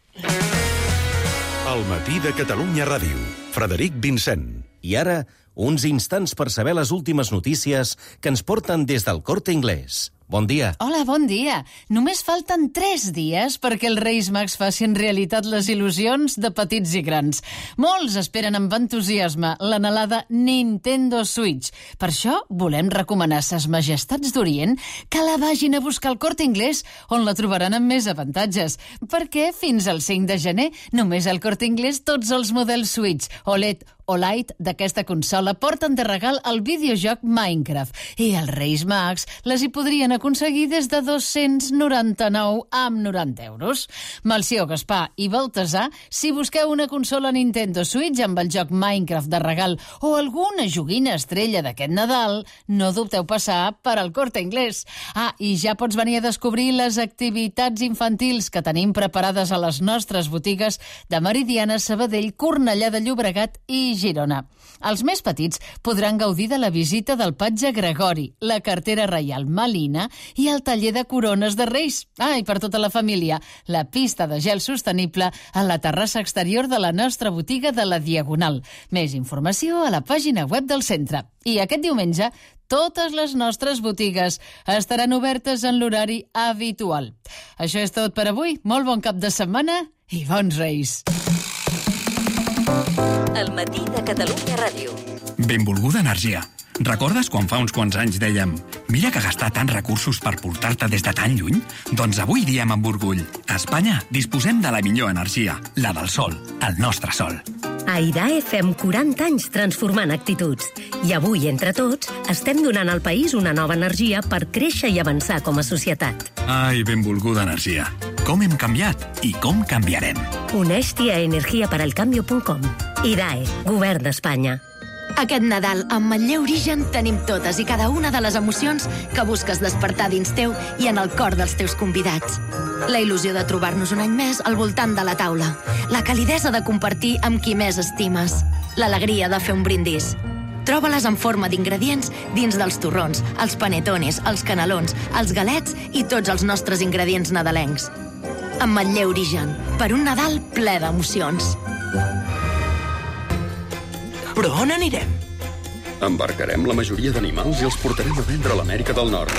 El matí de Catalunya Ràdio. Frederic Vincent. I ara, uns instants per saber les últimes notícies que ens porten des del Corte Inglés. Bon dia. Hola, bon dia. Només falten tres dies perquè els Reis Mags facin realitat les il·lusions de petits i grans. Molts esperen amb entusiasme l'anhelada Nintendo Switch. Per això volem recomanar a ses majestats d'Orient que la vagin a buscar al Corte Inglés, on la trobaran amb més avantatges. Perquè fins al cinc de gener, només al Corte Inglés, tots els models Switch, O L E D o Lite d'aquesta consola porten de regal el videojoc Minecraft i els Reis Mags les hi podrien aconseguir des de dos-cents noranta-nou amb noranta euros. Melcior, Gaspar i Baltasar, si busqueu una consola Nintendo Switch amb el joc Minecraft de regal o alguna joguina estrella d'aquest Nadal, no dubteu passar per al Corte Inglés. Ah, i ja pots venir a descobrir les activitats infantils que tenim preparades a les nostres botigues de Meridiana, Sabadell, Cornellà de Llobregat i Girona. Els més petits podran gaudir de la visita del patge Gregori, la cartera reial Malina i el taller de corones de Reis. Ah, i per tota la família, la pista de gel sostenible a la terrassa exterior de la nostra botiga de la Diagonal. Més informació a la pàgina web del centre. I aquest diumenge, totes les nostres botigues estaran obertes en l'horari habitual. Això és tot per avui. Molt bon cap de setmana i bons Reis. El matí de Catalunya Ràdio. Benvolguda energia. Recordes quan fa uns quants anys dèiem mira que gastar tants recursos per portar-te des de tan lluny? Doncs avui diem amb orgull. A Espanya disposem de la millor energia, la del sol, el nostre sol. A IDAE fem quaranta anys transformant actituds. I avui, entre tots, estem donant al país una nova energia per créixer i avançar com a societat. Ai, benvolguda energia. Com hem canviat i com canviarem. Uneix-t'hi a energia per al cambio punt com. IDAE, Govern d'Espanya. Aquest Nadal, amb Manlleu Origen, tenim totes i cada una de les emocions que busques despertar dins teu i en el cor dels teus convidats. La il·lusió de trobar-nos un any més al voltant de la taula. La calidesa de compartir amb qui més estimes. L'alegria de fer un brindis. Troba-les en forma d'ingredients dins dels torrons, els panetones, els canelons, els galets i tots els nostres ingredients nadalencs. Amb Manlleu Origen, per un Nadal ple d'emocions. Però on anirem? Embarcarem la majoria d'animals i els portarem a vendre a l'Amèrica del Nord.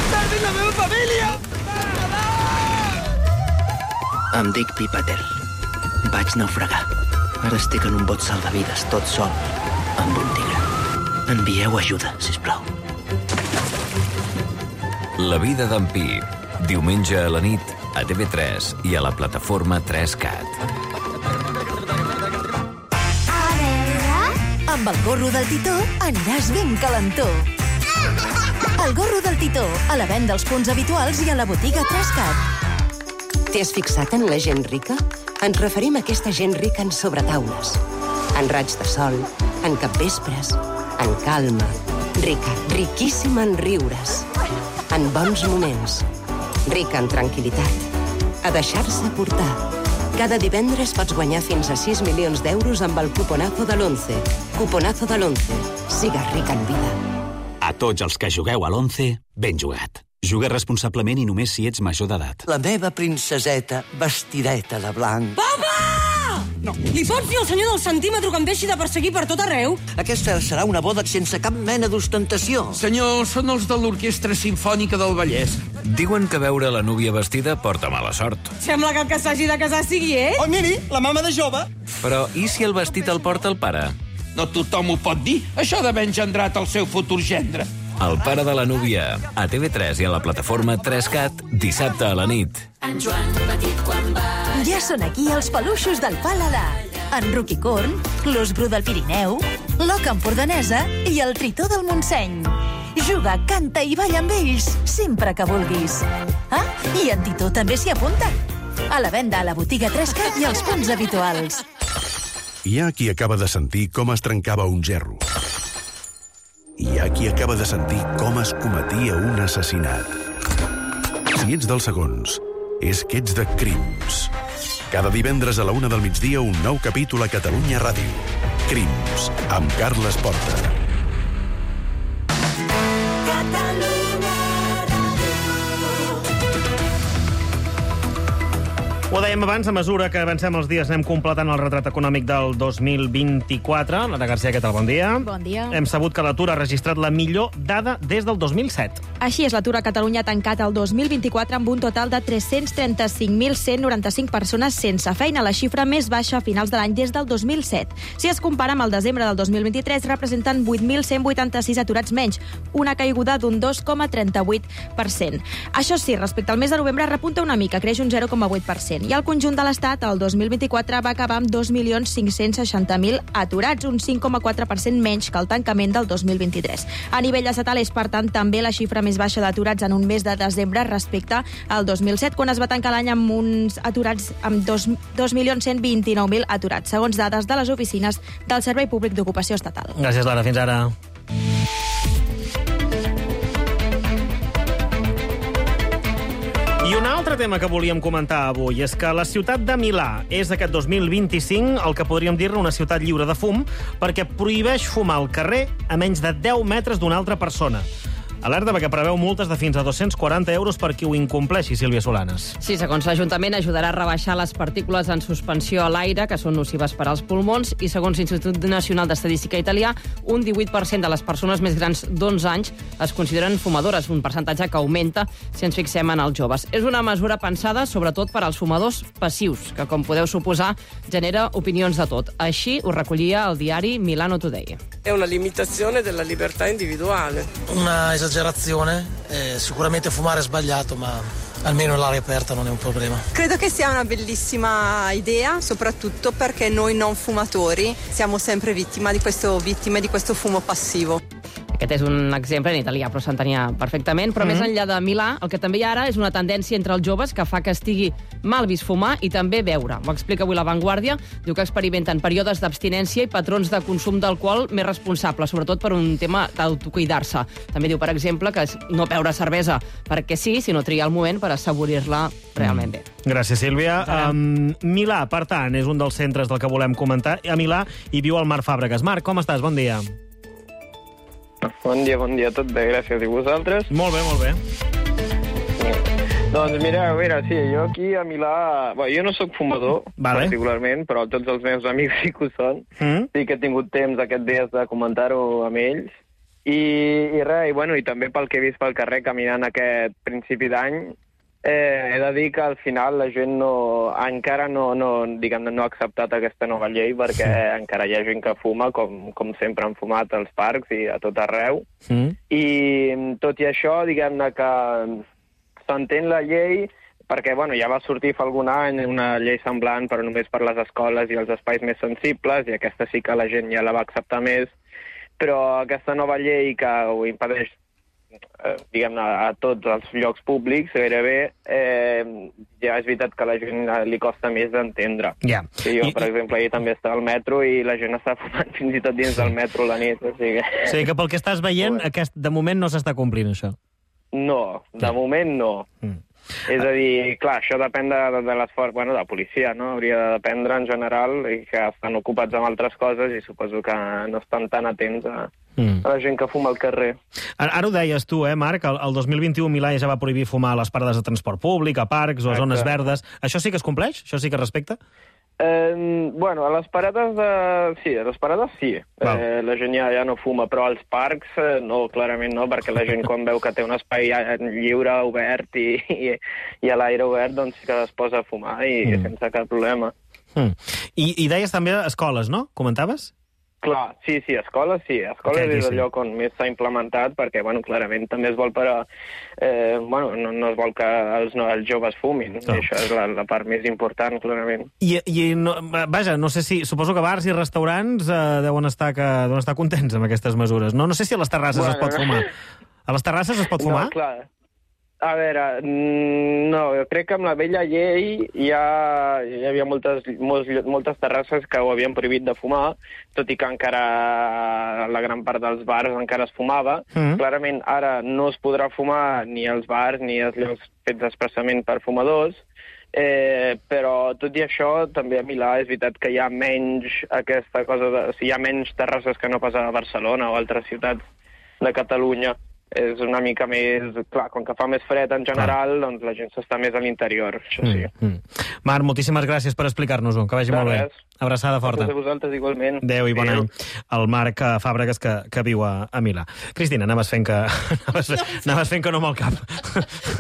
Perdin la meva família! Em dic Pipater. Vaig naufragar. Ara estic en un bot salvavides, tot sol, amb un tigre. Envieu ajuda, sisplau. La vida d'en Pi. Diumenge a la nit, a T V tres i a la plataforma tres cat. A veure... Amb el gorro del Titó aniràs ben calentó. El gorro del Titó, a la venda als punts habituals i a la botiga tres cat. T'hi has fixat en la gent rica? Ens referim a aquesta gent rica en sobretaules, en raig de sol, en capvespres, en calma, rica, riquíssima en riures, en bons moments, rica en tranquil·litat, a deixar-se portar. Cada divendres pots guanyar fins a sis milions d'euros amb el cuponazo de l'once. Cuponazo de l'once. Sigues rica en vida. A tots els que jugueu a l'once, ben jugat. Juga responsablement i només si ets major d'edat. La meva princeseta vestideta de blanc. Papa! No. Li pots dir al senyor del centímetre que em deixi de perseguir per tot arreu? Aquesta serà una boda sense cap mena d'ostentació. Senyor, són els de l'Orquestra Simfònica del Vallès. Diuen que veure la núvia vestida porta mala sort. Sembla que el que s'hagi de casar sigui ell. Oh, miri, la mama de jove. Però i si el vestit el porta el pare? No tothom ho pot dir. Això d'haver engendrat el seu futur gendre. El pare de la núvia, a T V tres i a la plataforma tres cat, dissabte a la nit. En Joan petit quan va... Ja són aquí els peluixos del Paladar. En Ruquicorn, l'os bru del Pirineu, l'oca empordanesa i el tritó del Montseny. Juga, canta i balla amb ells sempre que vulguis. Ah, i en Titó també s'hi apunta. A la venda a la botiga tres cat i als punts habituals. Hi ha qui acaba de sentir com es trencava un gerro. Hi ha qui acaba de sentir com es cometia un assassinat. Si ets dels segons, és que ets de Crims. Cada divendres a la una del migdia un nou capítol a Catalunya Ràdio. Crims, amb Carles Porta. Ho dèiem abans, a mesura que avancem els dies anem completant el retrat econòmic del dos mil vint-i-quatre. Lara García, què tal? Bon dia. Bon dia. Hem sabut que l'atur ha registrat la millor dada des del dos mil set. Així és, l'atur a Catalunya ha tancat el dos mil vint-i-quatre amb un total de tres-cents trenta-cinc mil cent noranta-cinc persones sense feina, la xifra més baixa a finals de l'any des del dos mil set. Si es compara amb el desembre del dos mil vint-i-tres, representen vuit mil cent vuitanta-sis aturats menys, una caiguda d'un dos coma trenta-vuit per cent. Això sí, respecte al mes de novembre repunta una mica, creix un zero coma vuit per cent. I el conjunt de l'Estat, el dos mil vint-i-quatre, va acabar amb dos milions cinc-cents seixanta mil aturats, un cinc coma quatre per cent menys que el tancament del dos mil vint-i-tres. A nivell estatal és, per tant, també la xifra més baixa d'aturats en un mes de desembre respecte al dos mil set, quan es va tancar l'any amb uns aturats amb dos milions cent vint-i-nou mil aturats, segons dades de les oficines del Servei Públic d'Ocupació Estatal. Gràcies, Lara. Fins ara. I un altre tema que volíem comentar avui és que la ciutat de Milà és aquest dos mil vint-i-cinc el que podríem dir-ne una ciutat lliure de fum perquè prohibeix fumar al carrer a menys de deu metres d'una altra persona. Alerta perquè preveu multes de fins a dos-cents quaranta euros per qui ho incompleixi, Sílvia Solanes. Sí, segons l'Ajuntament, ajudarà a rebaixar les partícules en suspensió a l'aire, que són nocives per als pulmons, i segons l'Institut Nacional d'Estadística Italià, un divuit per cent de les persones més grans d'onze anys es consideren fumadores, un percentatge que augmenta si ens fixem en els joves. És una mesura pensada sobretot per als fumadors passius, que, com podeu suposar, genera opinions de tot. Així ho recollia el diari Milano Today. È una limitazione della libertà individuale. Una esagerazione, eh, sicuramente fumare è sbagliato, ma almeno all'aria aperta non è un problema. Credo che sia una bellissima idea, soprattutto perché noi non fumatori siamo sempre vittima di questo, vittime di questo fumo passivo. Aquest és un exemple en italià, però s'entenia perfectament. Però mm-hmm. més enllà de Milà, el que també hi ha ara és una tendència entre els joves que fa que estigui mal vist fumar i també beure. Ho explica avui La Vanguardia. Diu que experimenten períodes d'abstinència i patrons de consum d'alcohol més responsables, sobretot per un tema d'autocuidar-se. També diu, per exemple, que no beure cervesa perquè sí, sinó triar el moment per assaborir-la realment bé. Gràcies, Sílvia. Um, Milà, per tant, és un dels centres del que volem comentar. A Milà hi viu el Marc Fàbregas. Marc, com estàs? Bon dia. Bon dia, bon dia, tot bé, gràcies. I vosaltres? Molt bé, molt bé. Doncs mira, a veure, sí, jo aquí a Milà... Bé, jo no sóc fumador, vale. particularment, però tots els meus amics sí que ho són. Mm. Sí que he tingut temps aquests dies de comentar-ho amb ells. I, i res, i, bueno, i també pel que he vist pel carrer caminant aquest principi d'any, Eh, he de dir que al final la gent no, encara no, no, diguem, no ha acceptat aquesta nova llei perquè sí. encara hi ha gent que fuma, com, com sempre han fumat als parcs i a tot arreu. Mm. I tot i això, diguem-ne que s'entén la llei perquè bueno, ja va sortir fa algun any una llei semblant, però només per les escoles i els espais més sensibles, i aquesta sí que la gent ja la va acceptar més, però aquesta nova llei que ho impedeix Eh, diguem-ne, a tots els llocs públics, gairebé, eh, ja és veritat que a la gent li costa més d'entendre. Yeah. Sí, jo, I, per exemple, ahir també estava al metro i la gent està fumant fins i tot dins del metro la nit. O sigui, o sigui que pel que estàs veient, aquest, de moment no s'està complint, això. No, de yeah. moment no. Mm. És a dir, clar, això depèn de, de, de l'esforç, bueno, de la policia, no? Hauria de dependre en general i que estan ocupats amb altres coses i suposo que no estan tan atents a, mm. a la gent que fuma al carrer. Ara, ara ho deies tu, eh, Marc? El, el dos mil vint-i-u Milà ja va prohibir fumar a les parades de transport públic, a parcs o a zones verdes. Això sí que es compleix? Això sí que es respecta? Eh, bueno, a les parades de... sí, a les parades sí. Eh, la gent ja, ja no fuma, però als parcs eh, no, clarament no, perquè la gent quan veu que té un espai lliure, obert i, i, i a l'aire obert, doncs sí que es posa a fumar i mm. sense cap problema. Mm. I, I deies també escoles, no? Comentaves? Clar, sí, sí, escoles sí. Escoles okay, és el lloc on més s'ha implementat perquè, bueno, clarament també es vol per a... Eh, bueno, no, no es vol que els, no, els joves fumin. No. I això és la, la part més important, clarament. I, i no, vaja, no sé si... Suposo que bars i restaurants eh, deuen, estar que, deuen estar contents amb aquestes mesures. No, no sé si a les terrasses bueno, es pot fumar. A les terrasses es pot fumar? No, clar. A veure, no, jo crec que amb la vella llei ja hi havia moltes, molts, moltes terrasses que ho havien prohibit de fumar, tot i que encara la gran part dels bars encara es fumava. Mm. Clarament ara no es podrà fumar ni als bars ni als llocs fets expressament per fumadors, eh, però tot i això també a Milà és veritat que hi ha menys aquesta cosa de... O sigui, hi ha menys terrasses que no pas a Barcelona o altres ciutats de Catalunya. És una mica més... Clar, com que fa més fred en general, doncs la gent s'està més a l'interior, això sí. Mm, mm. Marc, moltíssimes gràcies per explicar-nos-ho, que vagi de molt res. bé. Abraçada forta. Gràcies a vosaltres, igualment. Adéu i bon any. El Marc Fàbregas, que, que viu a, a Milà. Cristina, anaves fent que... anaves, no, anaves fent que no amb el cap.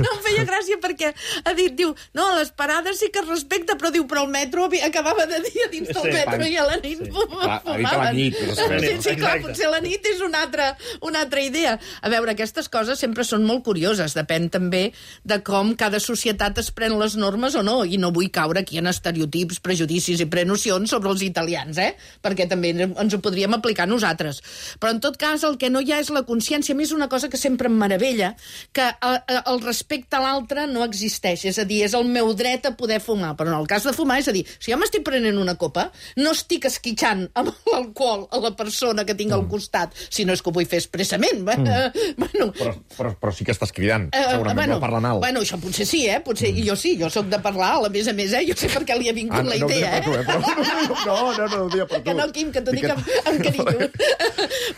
No, em feia gràcia perquè ha dit, diu, no, a les parades sí que es respecta, però diu, però el metro acabava de dir dins del sí, metro i a la nit sí. fumaven. Ha dit a la nit. Però sí, sí, clar, potser la nit és una altra, una altra idea. A veure, aquestes coses sempre són molt curioses. Depèn també de com cada societat es pren les normes o no, i no vull caure aquí en estereotips, prejudicis i prenocions sobre els italians, eh? Perquè també ens ho podríem aplicar nosaltres. Però en tot cas el que no hi ha és la consciència. A mi és una cosa que sempre em meravella, que el respecte a l'altre no existeix. És a dir, és el meu dret a poder fumar. Però en el cas de fumar, és a dir, si jo m'estic prenent una copa, no estic esquitxant amb l'alcohol a la persona que tinc mm. al costat, si no és que ho vull fer expressament. Mm. Bueno, però, però, però sí que estàs cridant, uh, segurament, bueno, no parlant alt. Bueno, això potser sí, eh? Potser, mm. Jo sí, jo sóc de parlar alt, a més a més, eh? Jo sé per què li ha vingut ah, la no idea, eh? Tu, eh? Però, no, no, no, no ho dia per tu. Que no, Quim, que t'ho dic amb, amb carinyo.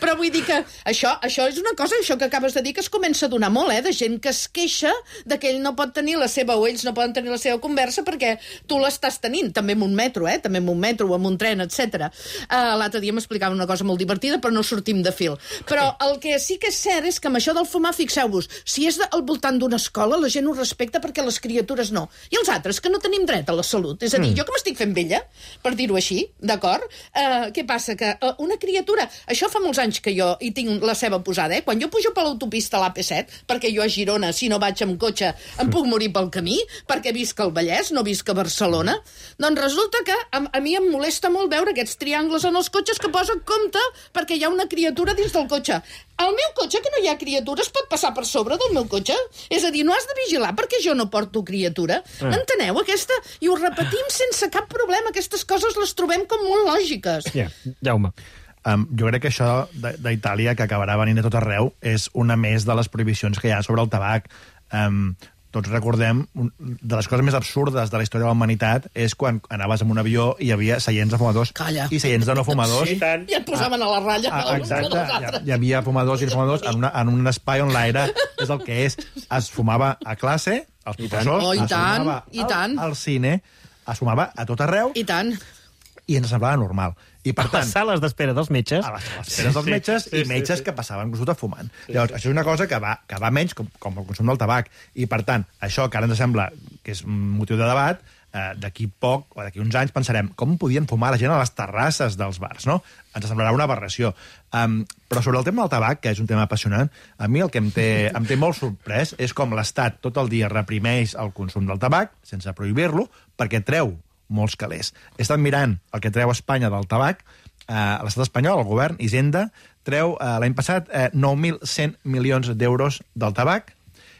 Però vull dir que això, això és una cosa, això que acabes de dir, que es comença a donar molt, eh? De gent que es queixa de que ell no pot tenir la seva, o ells no poden tenir la seva conversa perquè tu l'estàs tenint, també en un metro, eh? També en un metro o en un tren, etcètera. Uh, L'altre dia m'explicava una cosa molt divertida, però no sortim de fil. Però el que sí que és cert és que amb això del fumar, fixeu-vos, si és de, al voltant d'una escola, la gent ho respecta perquè les criatures no. I els altres, que no tenim dret a la salut. És a dir, mm. jo que m'estic fent vella, per dir-ho així, d'acord? Uh, què passa? Que uh, una criatura... Això fa molts anys que jo hi tinc la seva posada, eh? Quan jo pujo per l'autopista a l'A P set, perquè jo a Girona, si no vaig amb cotxe, em puc morir pel camí, perquè visc al Vallès, no visc a Barcelona, doncs resulta que a, a mi em molesta molt veure aquests triangles en els cotxes que posen compte perquè hi ha una criatura dins del cotxe. Al meu cotxe, que no hi ha criatures, pot passar per sobre del meu cotxe? És a dir, no has de vigilar perquè jo no porto criatura. Mm. Enteneu aquesta? I ho repetim sense cap problema. Aquestes coses les trobem com molt lògiques. Ja, yeah. Jaume. Um, jo crec que això d'Itàlia, que acabarà venint a tot arreu, és una més de les prohibicions que hi ha sobre el tabac. Um, tots recordem, un, de les coses més absurdes de la història de la humanitat és quan anaves en un avió i hi havia seients de fumadors Calla. I seients de no fumadors. Sí, i et posaven a la ratlla. Ah, exacte, hi, hi havia fumadors i no fumadors en, una, en un espai on l'aire és el que és. Es fumava a classe, als professors, oh, i es tant, fumava i tant. Al, al cine, es fumava a tot arreu. I tant. i ens semblava normal. I, per a tant, les sales d'espera dels metges. A les esperes dels metges sí, sí, i metges sí, sí. que passaven consulta fumant. Sí, Llavors, sí. això és una cosa que va, que va menys, com, com el consum del tabac. I, per tant, això que ara ens sembla que és un motiu de debat, eh, d'aquí poc, o d'aquí uns anys, pensarem com podien fumar la gent a les terrasses dels bars, no? Ens semblarà una aberració. Um, però sobre el tema del tabac, que és un tema apassionant, a mi el que em té, em té molt sorprès és com l'Estat tot el dia reprimeix el consum del tabac, sense prohibir-lo, perquè treu molts calés. He estat mirant el que treu Espanya del tabac. Uh, l'estat espanyol, el govern, Hisenda, treu uh, l'any passat uh, nou mil cent milions d'euros del tabac,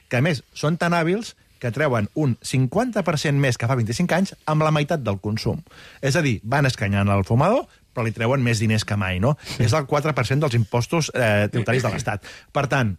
que a més són tan hàbils que treuen un cinquanta per cent més que fa vint-i-cinc anys amb la meitat del consum. És a dir, van escanyant el fumador, però li treuen més diners que mai, no? És el quatre per cent dels impostos eh, tributaris de l'Estat. Per tant,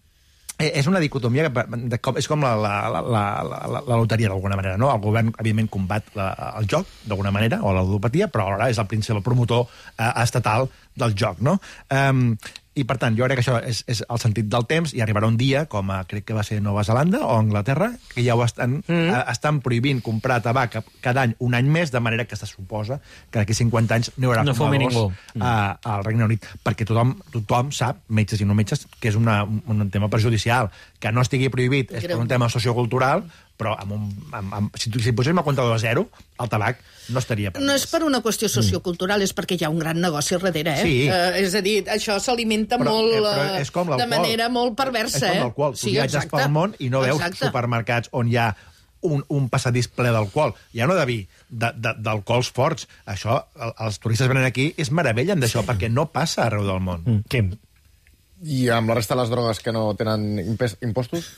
és una dicotomia que de, com, és com la, la, la, la, la, la loteria, d'alguna manera, no? El govern, evidentment, combat la, el joc, d'alguna manera, o la ludopatia, però alhora és el principal promotor eh, estatal del joc, no? Um, I, per tant, jo crec que això és, és el sentit del temps, i arribarà un dia, com a, crec que va ser Nova Zelanda o Anglaterra, que ja ho estan, mm. a, estan prohibint comprar tabac cada any, un any més, de manera que se suposa que d'aquí cinquanta anys no hi haurà no fumadors a, al Regne Unit. Perquè tothom, tothom sap, metges i no metges, que és una, un, un tema perjudicial. Que no estigui prohibit és per un tema sociocultural, però amb un, amb, amb, si, si poséssim el comptador a zero, el tabac no estaria permès. No és per una qüestió sociocultural, mm. és perquè hi ha un gran negoci darrere, eh? Sí. Uh, és a dir, això s'alimenta molt, eh, però és com de manera molt perversa, eh? És com l'alcohol. Tu sí, viatges exacte. pel món i no veus exacte. supermercats on hi ha un, un passadís ple d'alcohol. Ja no de vi, d'alcohols forts. Això, el, els turistes venen aquí i es meravellen d'això, sí. perquè no passa arreu del món. Mm. Quim? I amb la resta de les drogues que no tenen impostos?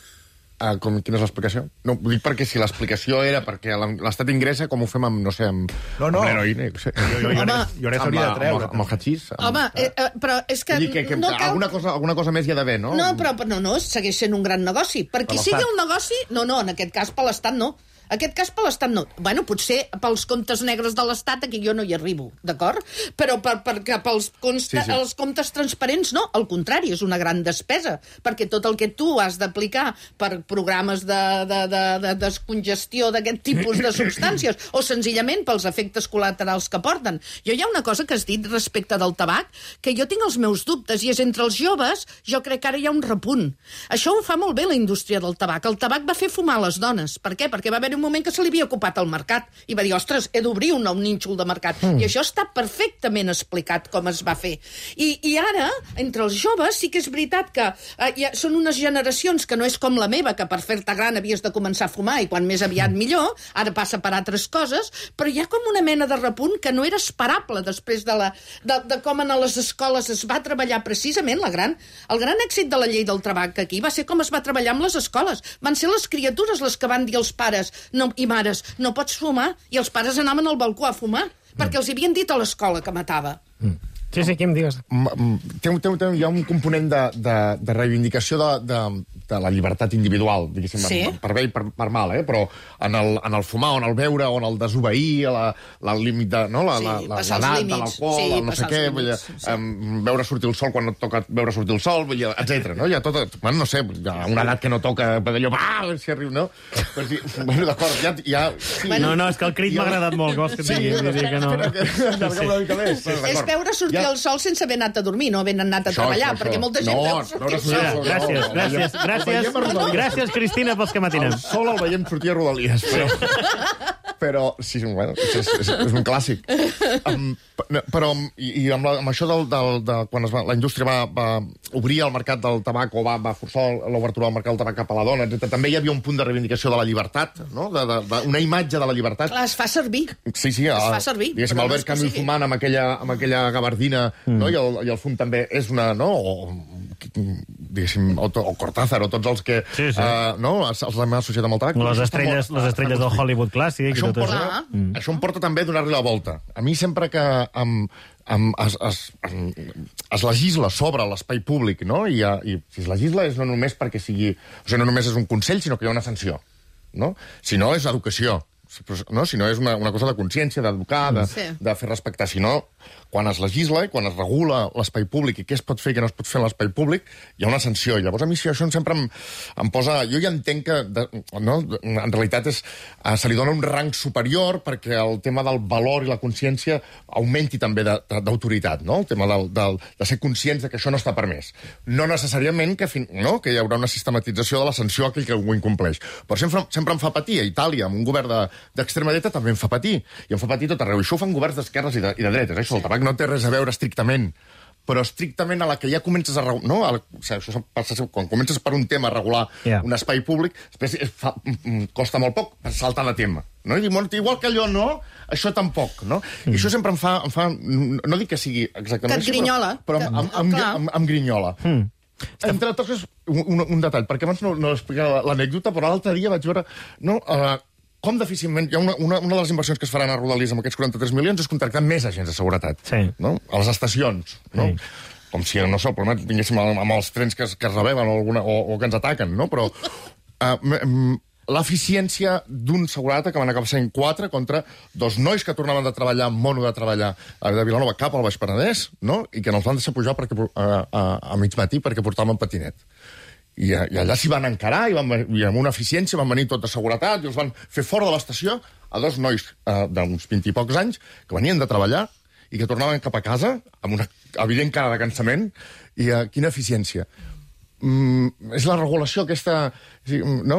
Uh, com, quina és l'explicació? No, ho dic perquè si l'explicació era perquè l'Estat ingressa, com ho fem amb, no sé, amb, no, no. amb l'heroïna? No sé. Jo, jo, jo, jo, jo s'hauria de treure. Amb, amb el hachís? Amb... Home, eh, eh, però és que... que, que no cal... alguna, cosa, alguna cosa més hi ha d'haver, no? No, però no, no, segueix sent un gran negoci. Per qui sigui un negoci... No, no, en aquest cas per l'Estat no. En aquest cas per l'Estat no. Bueno, potser pels comptes negres de l'Estat aquí jo no hi arribo, d'acord? Però per, per, pels consta, sí, sí. els comptes transparents no. Al contrari, és una gran despesa, perquè tot el que tu has d'aplicar per programes de, de, de, de descongestió d'aquest tipus de substàncies o senzillament pels efectes col·laterals que porten. Jo hi ha una cosa que has dit respecte del tabac, que jo tinc els meus dubtes, i és entre els joves, jo crec que ara hi ha un repunt. Això ho fa molt bé la indústria del tabac. El tabac va fer fumar les dones. Per què? Perquè va haver un moment que se li havia ocupat el mercat i va dir, ostres, he d'obrir un nou nínxol de mercat. Mm. I això està perfectament explicat com es va fer. I, i ara, entre els joves, sí que és veritat que eh, ja són unes generacions que no és com la meva, que per fer-te gran havies de començar a fumar i quan més aviat millor, ara passa per altres coses, però hi ha com una mena de repunt que no era esperable després de, la, de, de com en les escoles es va treballar precisament la gran, el gran èxit de la llei del tabac aquí va ser com es va treballar amb les escoles. Van ser les criatures les que van dir als pares no, i mares, no pots fumar, i els pares anaven al balcó a fumar, mm. perquè els havien dit a l'escola que matava. Mm. Sí, sí, Quim, digues. Té, té, té, hi ha un component de, de, de reivindicació de, de, de la llibertat individual, diguéssim, sí. per bé i per, per mal, eh? Però en el, en el fumar, o en el beure, o en el desobeir, la, la límit de, no? la, sí, la, la, l'edat de l'alcohol, sí, el no sé què, vull dir, sí. um, veure sortir el sol quan no et toca veure sortir el sol, etcètera. No? Hi ha tot, bueno, no sé, hi ha una edat que no toca allò, va, a veure si arriba, no? Però sí, bueno, d'acord, ja... ja sí. No, no, és que el crit m'ha agradat molt, vols que et digui, vull dir que no... Allarguem una mica més. És veure sortir el sol sense haver anat a dormir, no haver anat a treballar, perquè molta gent veu sortir el sol. Gràcies, gràcies, gràcies. Gràcies, Cristina, pels que matinem. El sol el veiem sortir a Rodalies, però... Però, sí, bueno, és, és, és un clàssic. Um, però, i, i amb, la, amb això del, del, de, quan es va, la indústria va, va obrir el mercat del tabac, o va, va forçar l'obertura del mercat del tabac cap a la dona, etcètera, també hi havia un punt de reivindicació de la llibertat, no? de, de, de, una imatge de la llibertat. Clar, es fa servir. Sí, sí. Es el, fa servir. Diguéssim, Albert Camus fumant amb aquella, amb aquella gabardina, mm. no? I, el, i el fum també és una... No? O, diguéssim, o, o Cortázar, o tots els que sí, sí. Uh, no? els, els hem associat amb el tabac. Les estrelles, les estrelles del Hollywood clàssic. Això, tot porta, això. Mm. això em porta també a donar-li la volta. A mi sempre que em, em, es, es, em, es legisla sobre l'espai públic, no? I, i si es legisla és no només perquè sigui... O sigui, no només és un consell, sinó que hi ha una sanció, no? Si no, és educació. no? Si no és una, una cosa de consciència, d'educar, de, sí. de fer respectar. Si no, quan es legisla i quan es regula l'espai públic i què es pot fer i què no es pot fer en l'espai públic, hi ha una sanció. I llavors a mi això sempre em, em posa... Jo ja entenc que, de, no? en realitat, és, uh, se li dona un rang superior perquè el tema del valor i la consciència augmenti també d'autoritat, no? El tema del, del, de ser conscients de que això no està permès. No necessàriament que, fin, no? que hi haurà una sistematització de la sanció a aquell que ho incompleix. Però sempre, sempre em fa patir. A Itàlia, amb un govern d'extrema de, dreta, també em fa patir. I em fa patir tot arreu. I això ho fan governs d'esquerres i, de, i de dretes. Això, el tabac no té res a veure estrictament, però estrictament a la que ja comences a regular... No? A la, o sigui, això passa, quan comences per un tema a regular yeah. un espai públic, després fa, costa molt poc saltar de tema. No? I dir, igual que allò no, això tampoc. No? Mm. I això sempre em fa, em fa... No dic que sigui exactament que et grinyola. Però, però que, em, em, em, em, em grinyola. Mm. Entre altres coses, un, un, un detall, perquè abans no, no explicava l'anècdota, però l'altre dia vaig veure... No, uh, com difícilment... Hi ha una, una, una de les inversions que es faran a Rodalies amb aquests quaranta-tres milions és contractar més agents de seguretat. Sí. No? A les estacions. No? Sí. Com si, no sé, el problema vinguéssim amb, amb els trens que es, que es rebeben o, alguna, o, o que ens ataquen, no? Però uh, l'eficiència d'un seguretat que van acabar sent quatre contra dos nois que tornaven de treballar, mono de treballar de Vilanova cap al Baix Penedès, no? I que no els van deixar pujar perquè, a, a, a mig matí perquè portaven patinet. I, I allà s'hi van encarar i, van, i amb una eficiència van venir tot de seguretat i els van fer fora de l'estació a dos nois eh, d'uns vint i pocs anys que venien de treballar i que tornaven cap a casa amb una evident cara de cansament i eh, quina eficiència. Mm, és la regulació aquesta, no?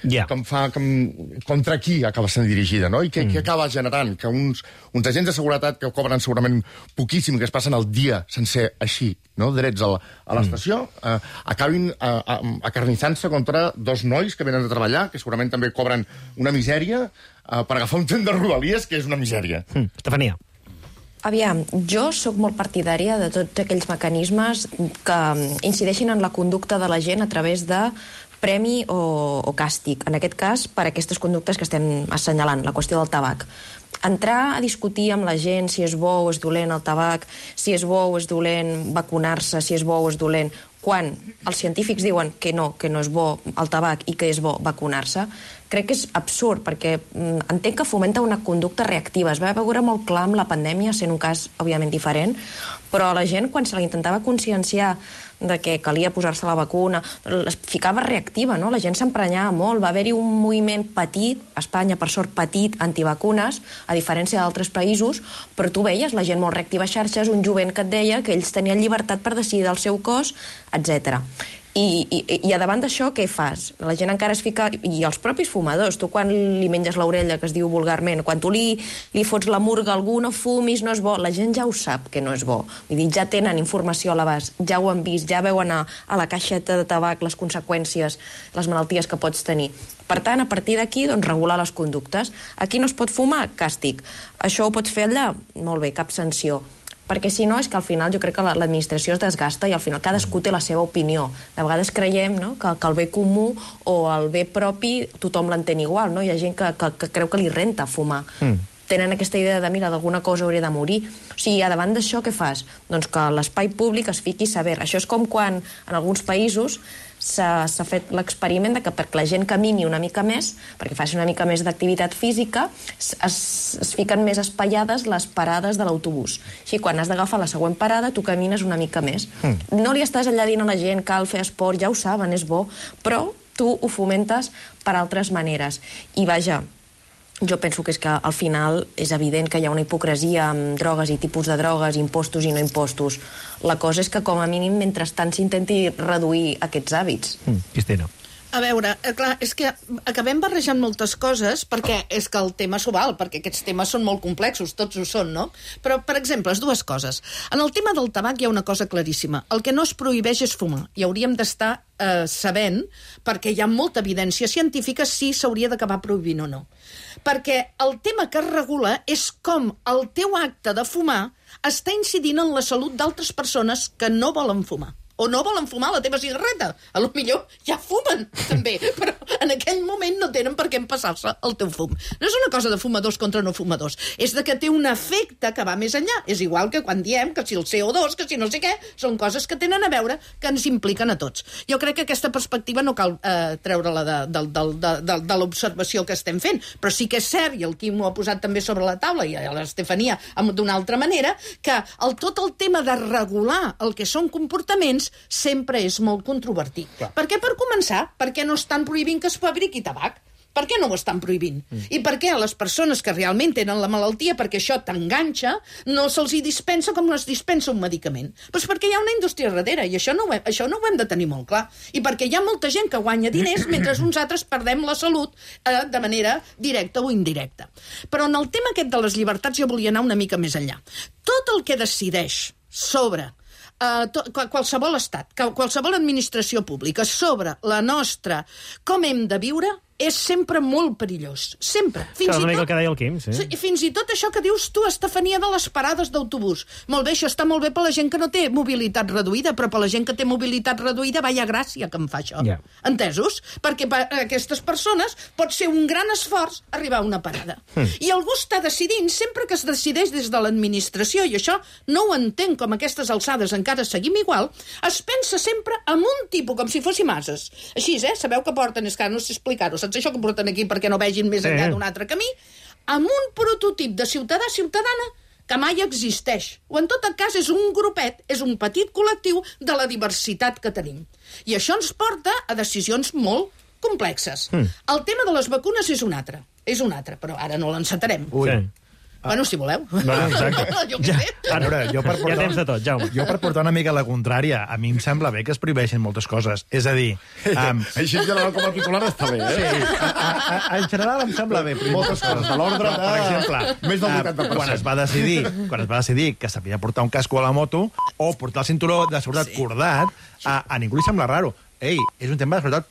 Yeah. Que em fa... Que em, contra qui acaba sent dirigida, no? I què, mm. què acaba generant? Que uns, uns agents de seguretat que cobren segurament poquíssim, que es passen el dia sencer així, no? Drets a l'estació, mm. eh, acabin eh, acarnissant-se contra dos nois que venen de treballar, que segurament també cobren una misèria, eh, per agafar un tren de Rodalies, que és una misèria. Mm. Estefania. Aviam, jo sóc molt partidària de tots aquells mecanismes que incideixin en la conducta de la gent a través de premi o, o càstig. En aquest cas, per aquestes conductes que estem assenyalant, la qüestió del tabac. Entrar a discutir amb la gent si és bo o és dolent el tabac, si és bo o és dolent vacunar-se, si és bo o és dolent, quan els científics diuen que no, que no és bo el tabac i que és bo vacunar-se, crec que és absurd, perquè entenc que fomenta una conducta reactiva. Es va veure molt clar amb la pandèmia, sent un cas, òbviament, diferent, però la gent, quan se la intentava conscienciar de que calia posar-se la vacuna, es ficava reactiva, no? La gent s'emprenyava molt. Va haver-hi un moviment petit, a Espanya, per sort, petit, antivacunes, a diferència d'altres països, però tu veies la gent molt reactiva a xarxes, un jovent que et deia que ells tenien llibertat per decidir del seu cos, etcètera. I, i, i a davant d'això, què fas? La gent encara es fica... I els propis fumadors, tu quan li menges l'orella, que es diu vulgarment, quan tu li, li fots la murga a algú, no fumis, no és bo, la gent ja ho sap que no és bo. Vull dir, ja tenen informació a l'abast, ja ho han vist, ja veuen a, a la caixeta de tabac les conseqüències, les malalties que pots tenir. Per tant, a partir d'aquí, doncs, regular les conductes. Aquí no es pot fumar? Càstig. Això ho pots fer allà? Molt bé, cap sanció. Perquè si no és que al final jo crec que l'administració es desgasta i al final cadascú té la seva opinió. De vegades creiem, no?, que, que el bé comú o el bé propi tothom l'entén igual, no? Hi ha gent que, que, que creu que li renta fumar. Mm. Tenen aquesta idea de, mira, d'alguna cosa hauria de morir. O sigui, a davant d'això, què fas? Doncs que l'espai públic es fiqui a saber. Això és com quan en alguns països s'ha fet l'experiment de que perquè la gent camini una mica més, perquè faci una mica més d'activitat física, es, es fiquen més espaiades les parades de l'autobús. Així, quan has d'agafar la següent parada, tu camines una mica més. Mm. No li estàs allà dient a la gent cal fer esport, ja ho saben, és bo, però tu ho fomentes per altres maneres. I vaja, jo penso que és que al final és evident que hi ha una hipocresia amb drogues i tipus de drogues, impostos i no impostos. La cosa és que, com a mínim, mentrestant s'intenti reduir aquests hàbits. Mm, Cristina. A veure, clar, és que acabem barrejant moltes coses perquè és que el tema s'ho val, perquè aquests temes són molt complexos, tots ho són, no? Però, per exemple, les dues coses. En el tema del tabac hi ha una cosa claríssima. El que no es prohibeix és fumar. I hauríem d'estar eh, sabent, perquè hi ha molta evidència científica, si s'hauria d'acabar prohibint o no. Perquè el tema que es regula és com el teu acte de fumar està incidint en la salut d'altres persones que no volen fumar. O no volen fumar la teva cigarreta. A lo millor ja fumen, també. Però en aquell moment no tenen per què empassar-se el teu fum. No és una cosa de fumadors contra no fumadors, és de que té un efecte que va més enllà. És igual que quan diem que si el C O dos, que si no sé què, són coses que tenen a veure, que ens impliquen a tots. Jo crec que aquesta perspectiva no cal eh, treure-la de, de, de, de, de, de l'observació que estem fent, però sí que és cert, i el Quim ho ha posat també sobre la taula, i l'Estefania d'una altra manera, que el, tot el tema de regular el que són comportaments sempre és molt controvertit. Clar. Per què? Per començar, perquè no estan prohibint que es fabriqui tabac. Per què no ho estan prohibint? Mm. I per què a les persones que realment tenen la malaltia, perquè això t'enganxa, no se'ls hi dispensa com no es dispensa un medicament? Doncs perquè hi ha una indústria darrere, i això no, ho hem, això no ho hem de tenir molt clar. I perquè hi ha molta gent que guanya diners mentre uns altres perdem la salut eh, de manera directa o indirecta. Però en el tema aquest de les llibertats jo volia anar una mica més enllà. Tot el que decideix sobre Uh, to, qualsevol estat, qualsevol administració pública sobre la nostra, com hem de viure, és sempre molt perillós. Sempre. Fins i tot, el que deia el Quim, sí. Fins i tot això que dius tu, Estefania, de les parades d'autobús. Molt bé, això està molt bé per la gent que no té mobilitat reduïda, però per la gent que té mobilitat reduïda, vaya gràcia que em fa això. Yeah. Entesos? Perquè per aquestes persones pot ser un gran esforç arribar a una parada. Mm. I algú està decidint, sempre que es decideix des de l'administració, i això no ho entenc com a aquestes alçades encara seguim igual, es pensa sempre en un tipus, com si fóssim ases. Així, eh? Sabeu que porten, és que no sé explicar-ho, saps això que porten aquí perquè no vegin més enllà d'un altre camí, amb un prototip de ciutadà-ciutadana que mai existeix. O en tot cas és un grupet, és un petit col·lectiu de la diversitat que tenim. I això ens porta a decisions molt complexes. Mm. El tema de les vacunes és un altre, és un altre, però ara no l'encetarem. Ui. Bueno, si voleu. No, no, exacte. Jo què sé. A veure, jo per portar, ja tens de tot, Jaume. Jo per portar una mica la contrària, a mi em sembla bé que es prohibeixin moltes coses. És a dir... Um, Així en general com a titular està bé, eh? Sí, a, a, a, en general em sembla bé. Moltes coses, de l'ordre de... Per exemple, més del vuitanta per cent. Quan es va decidir, quan es va decidir que s'havia de portar un casco a la moto o portar el cinturó de seguretat sí. cordat, a, a ningú li sembla raro. Ei, és un tema de seguretat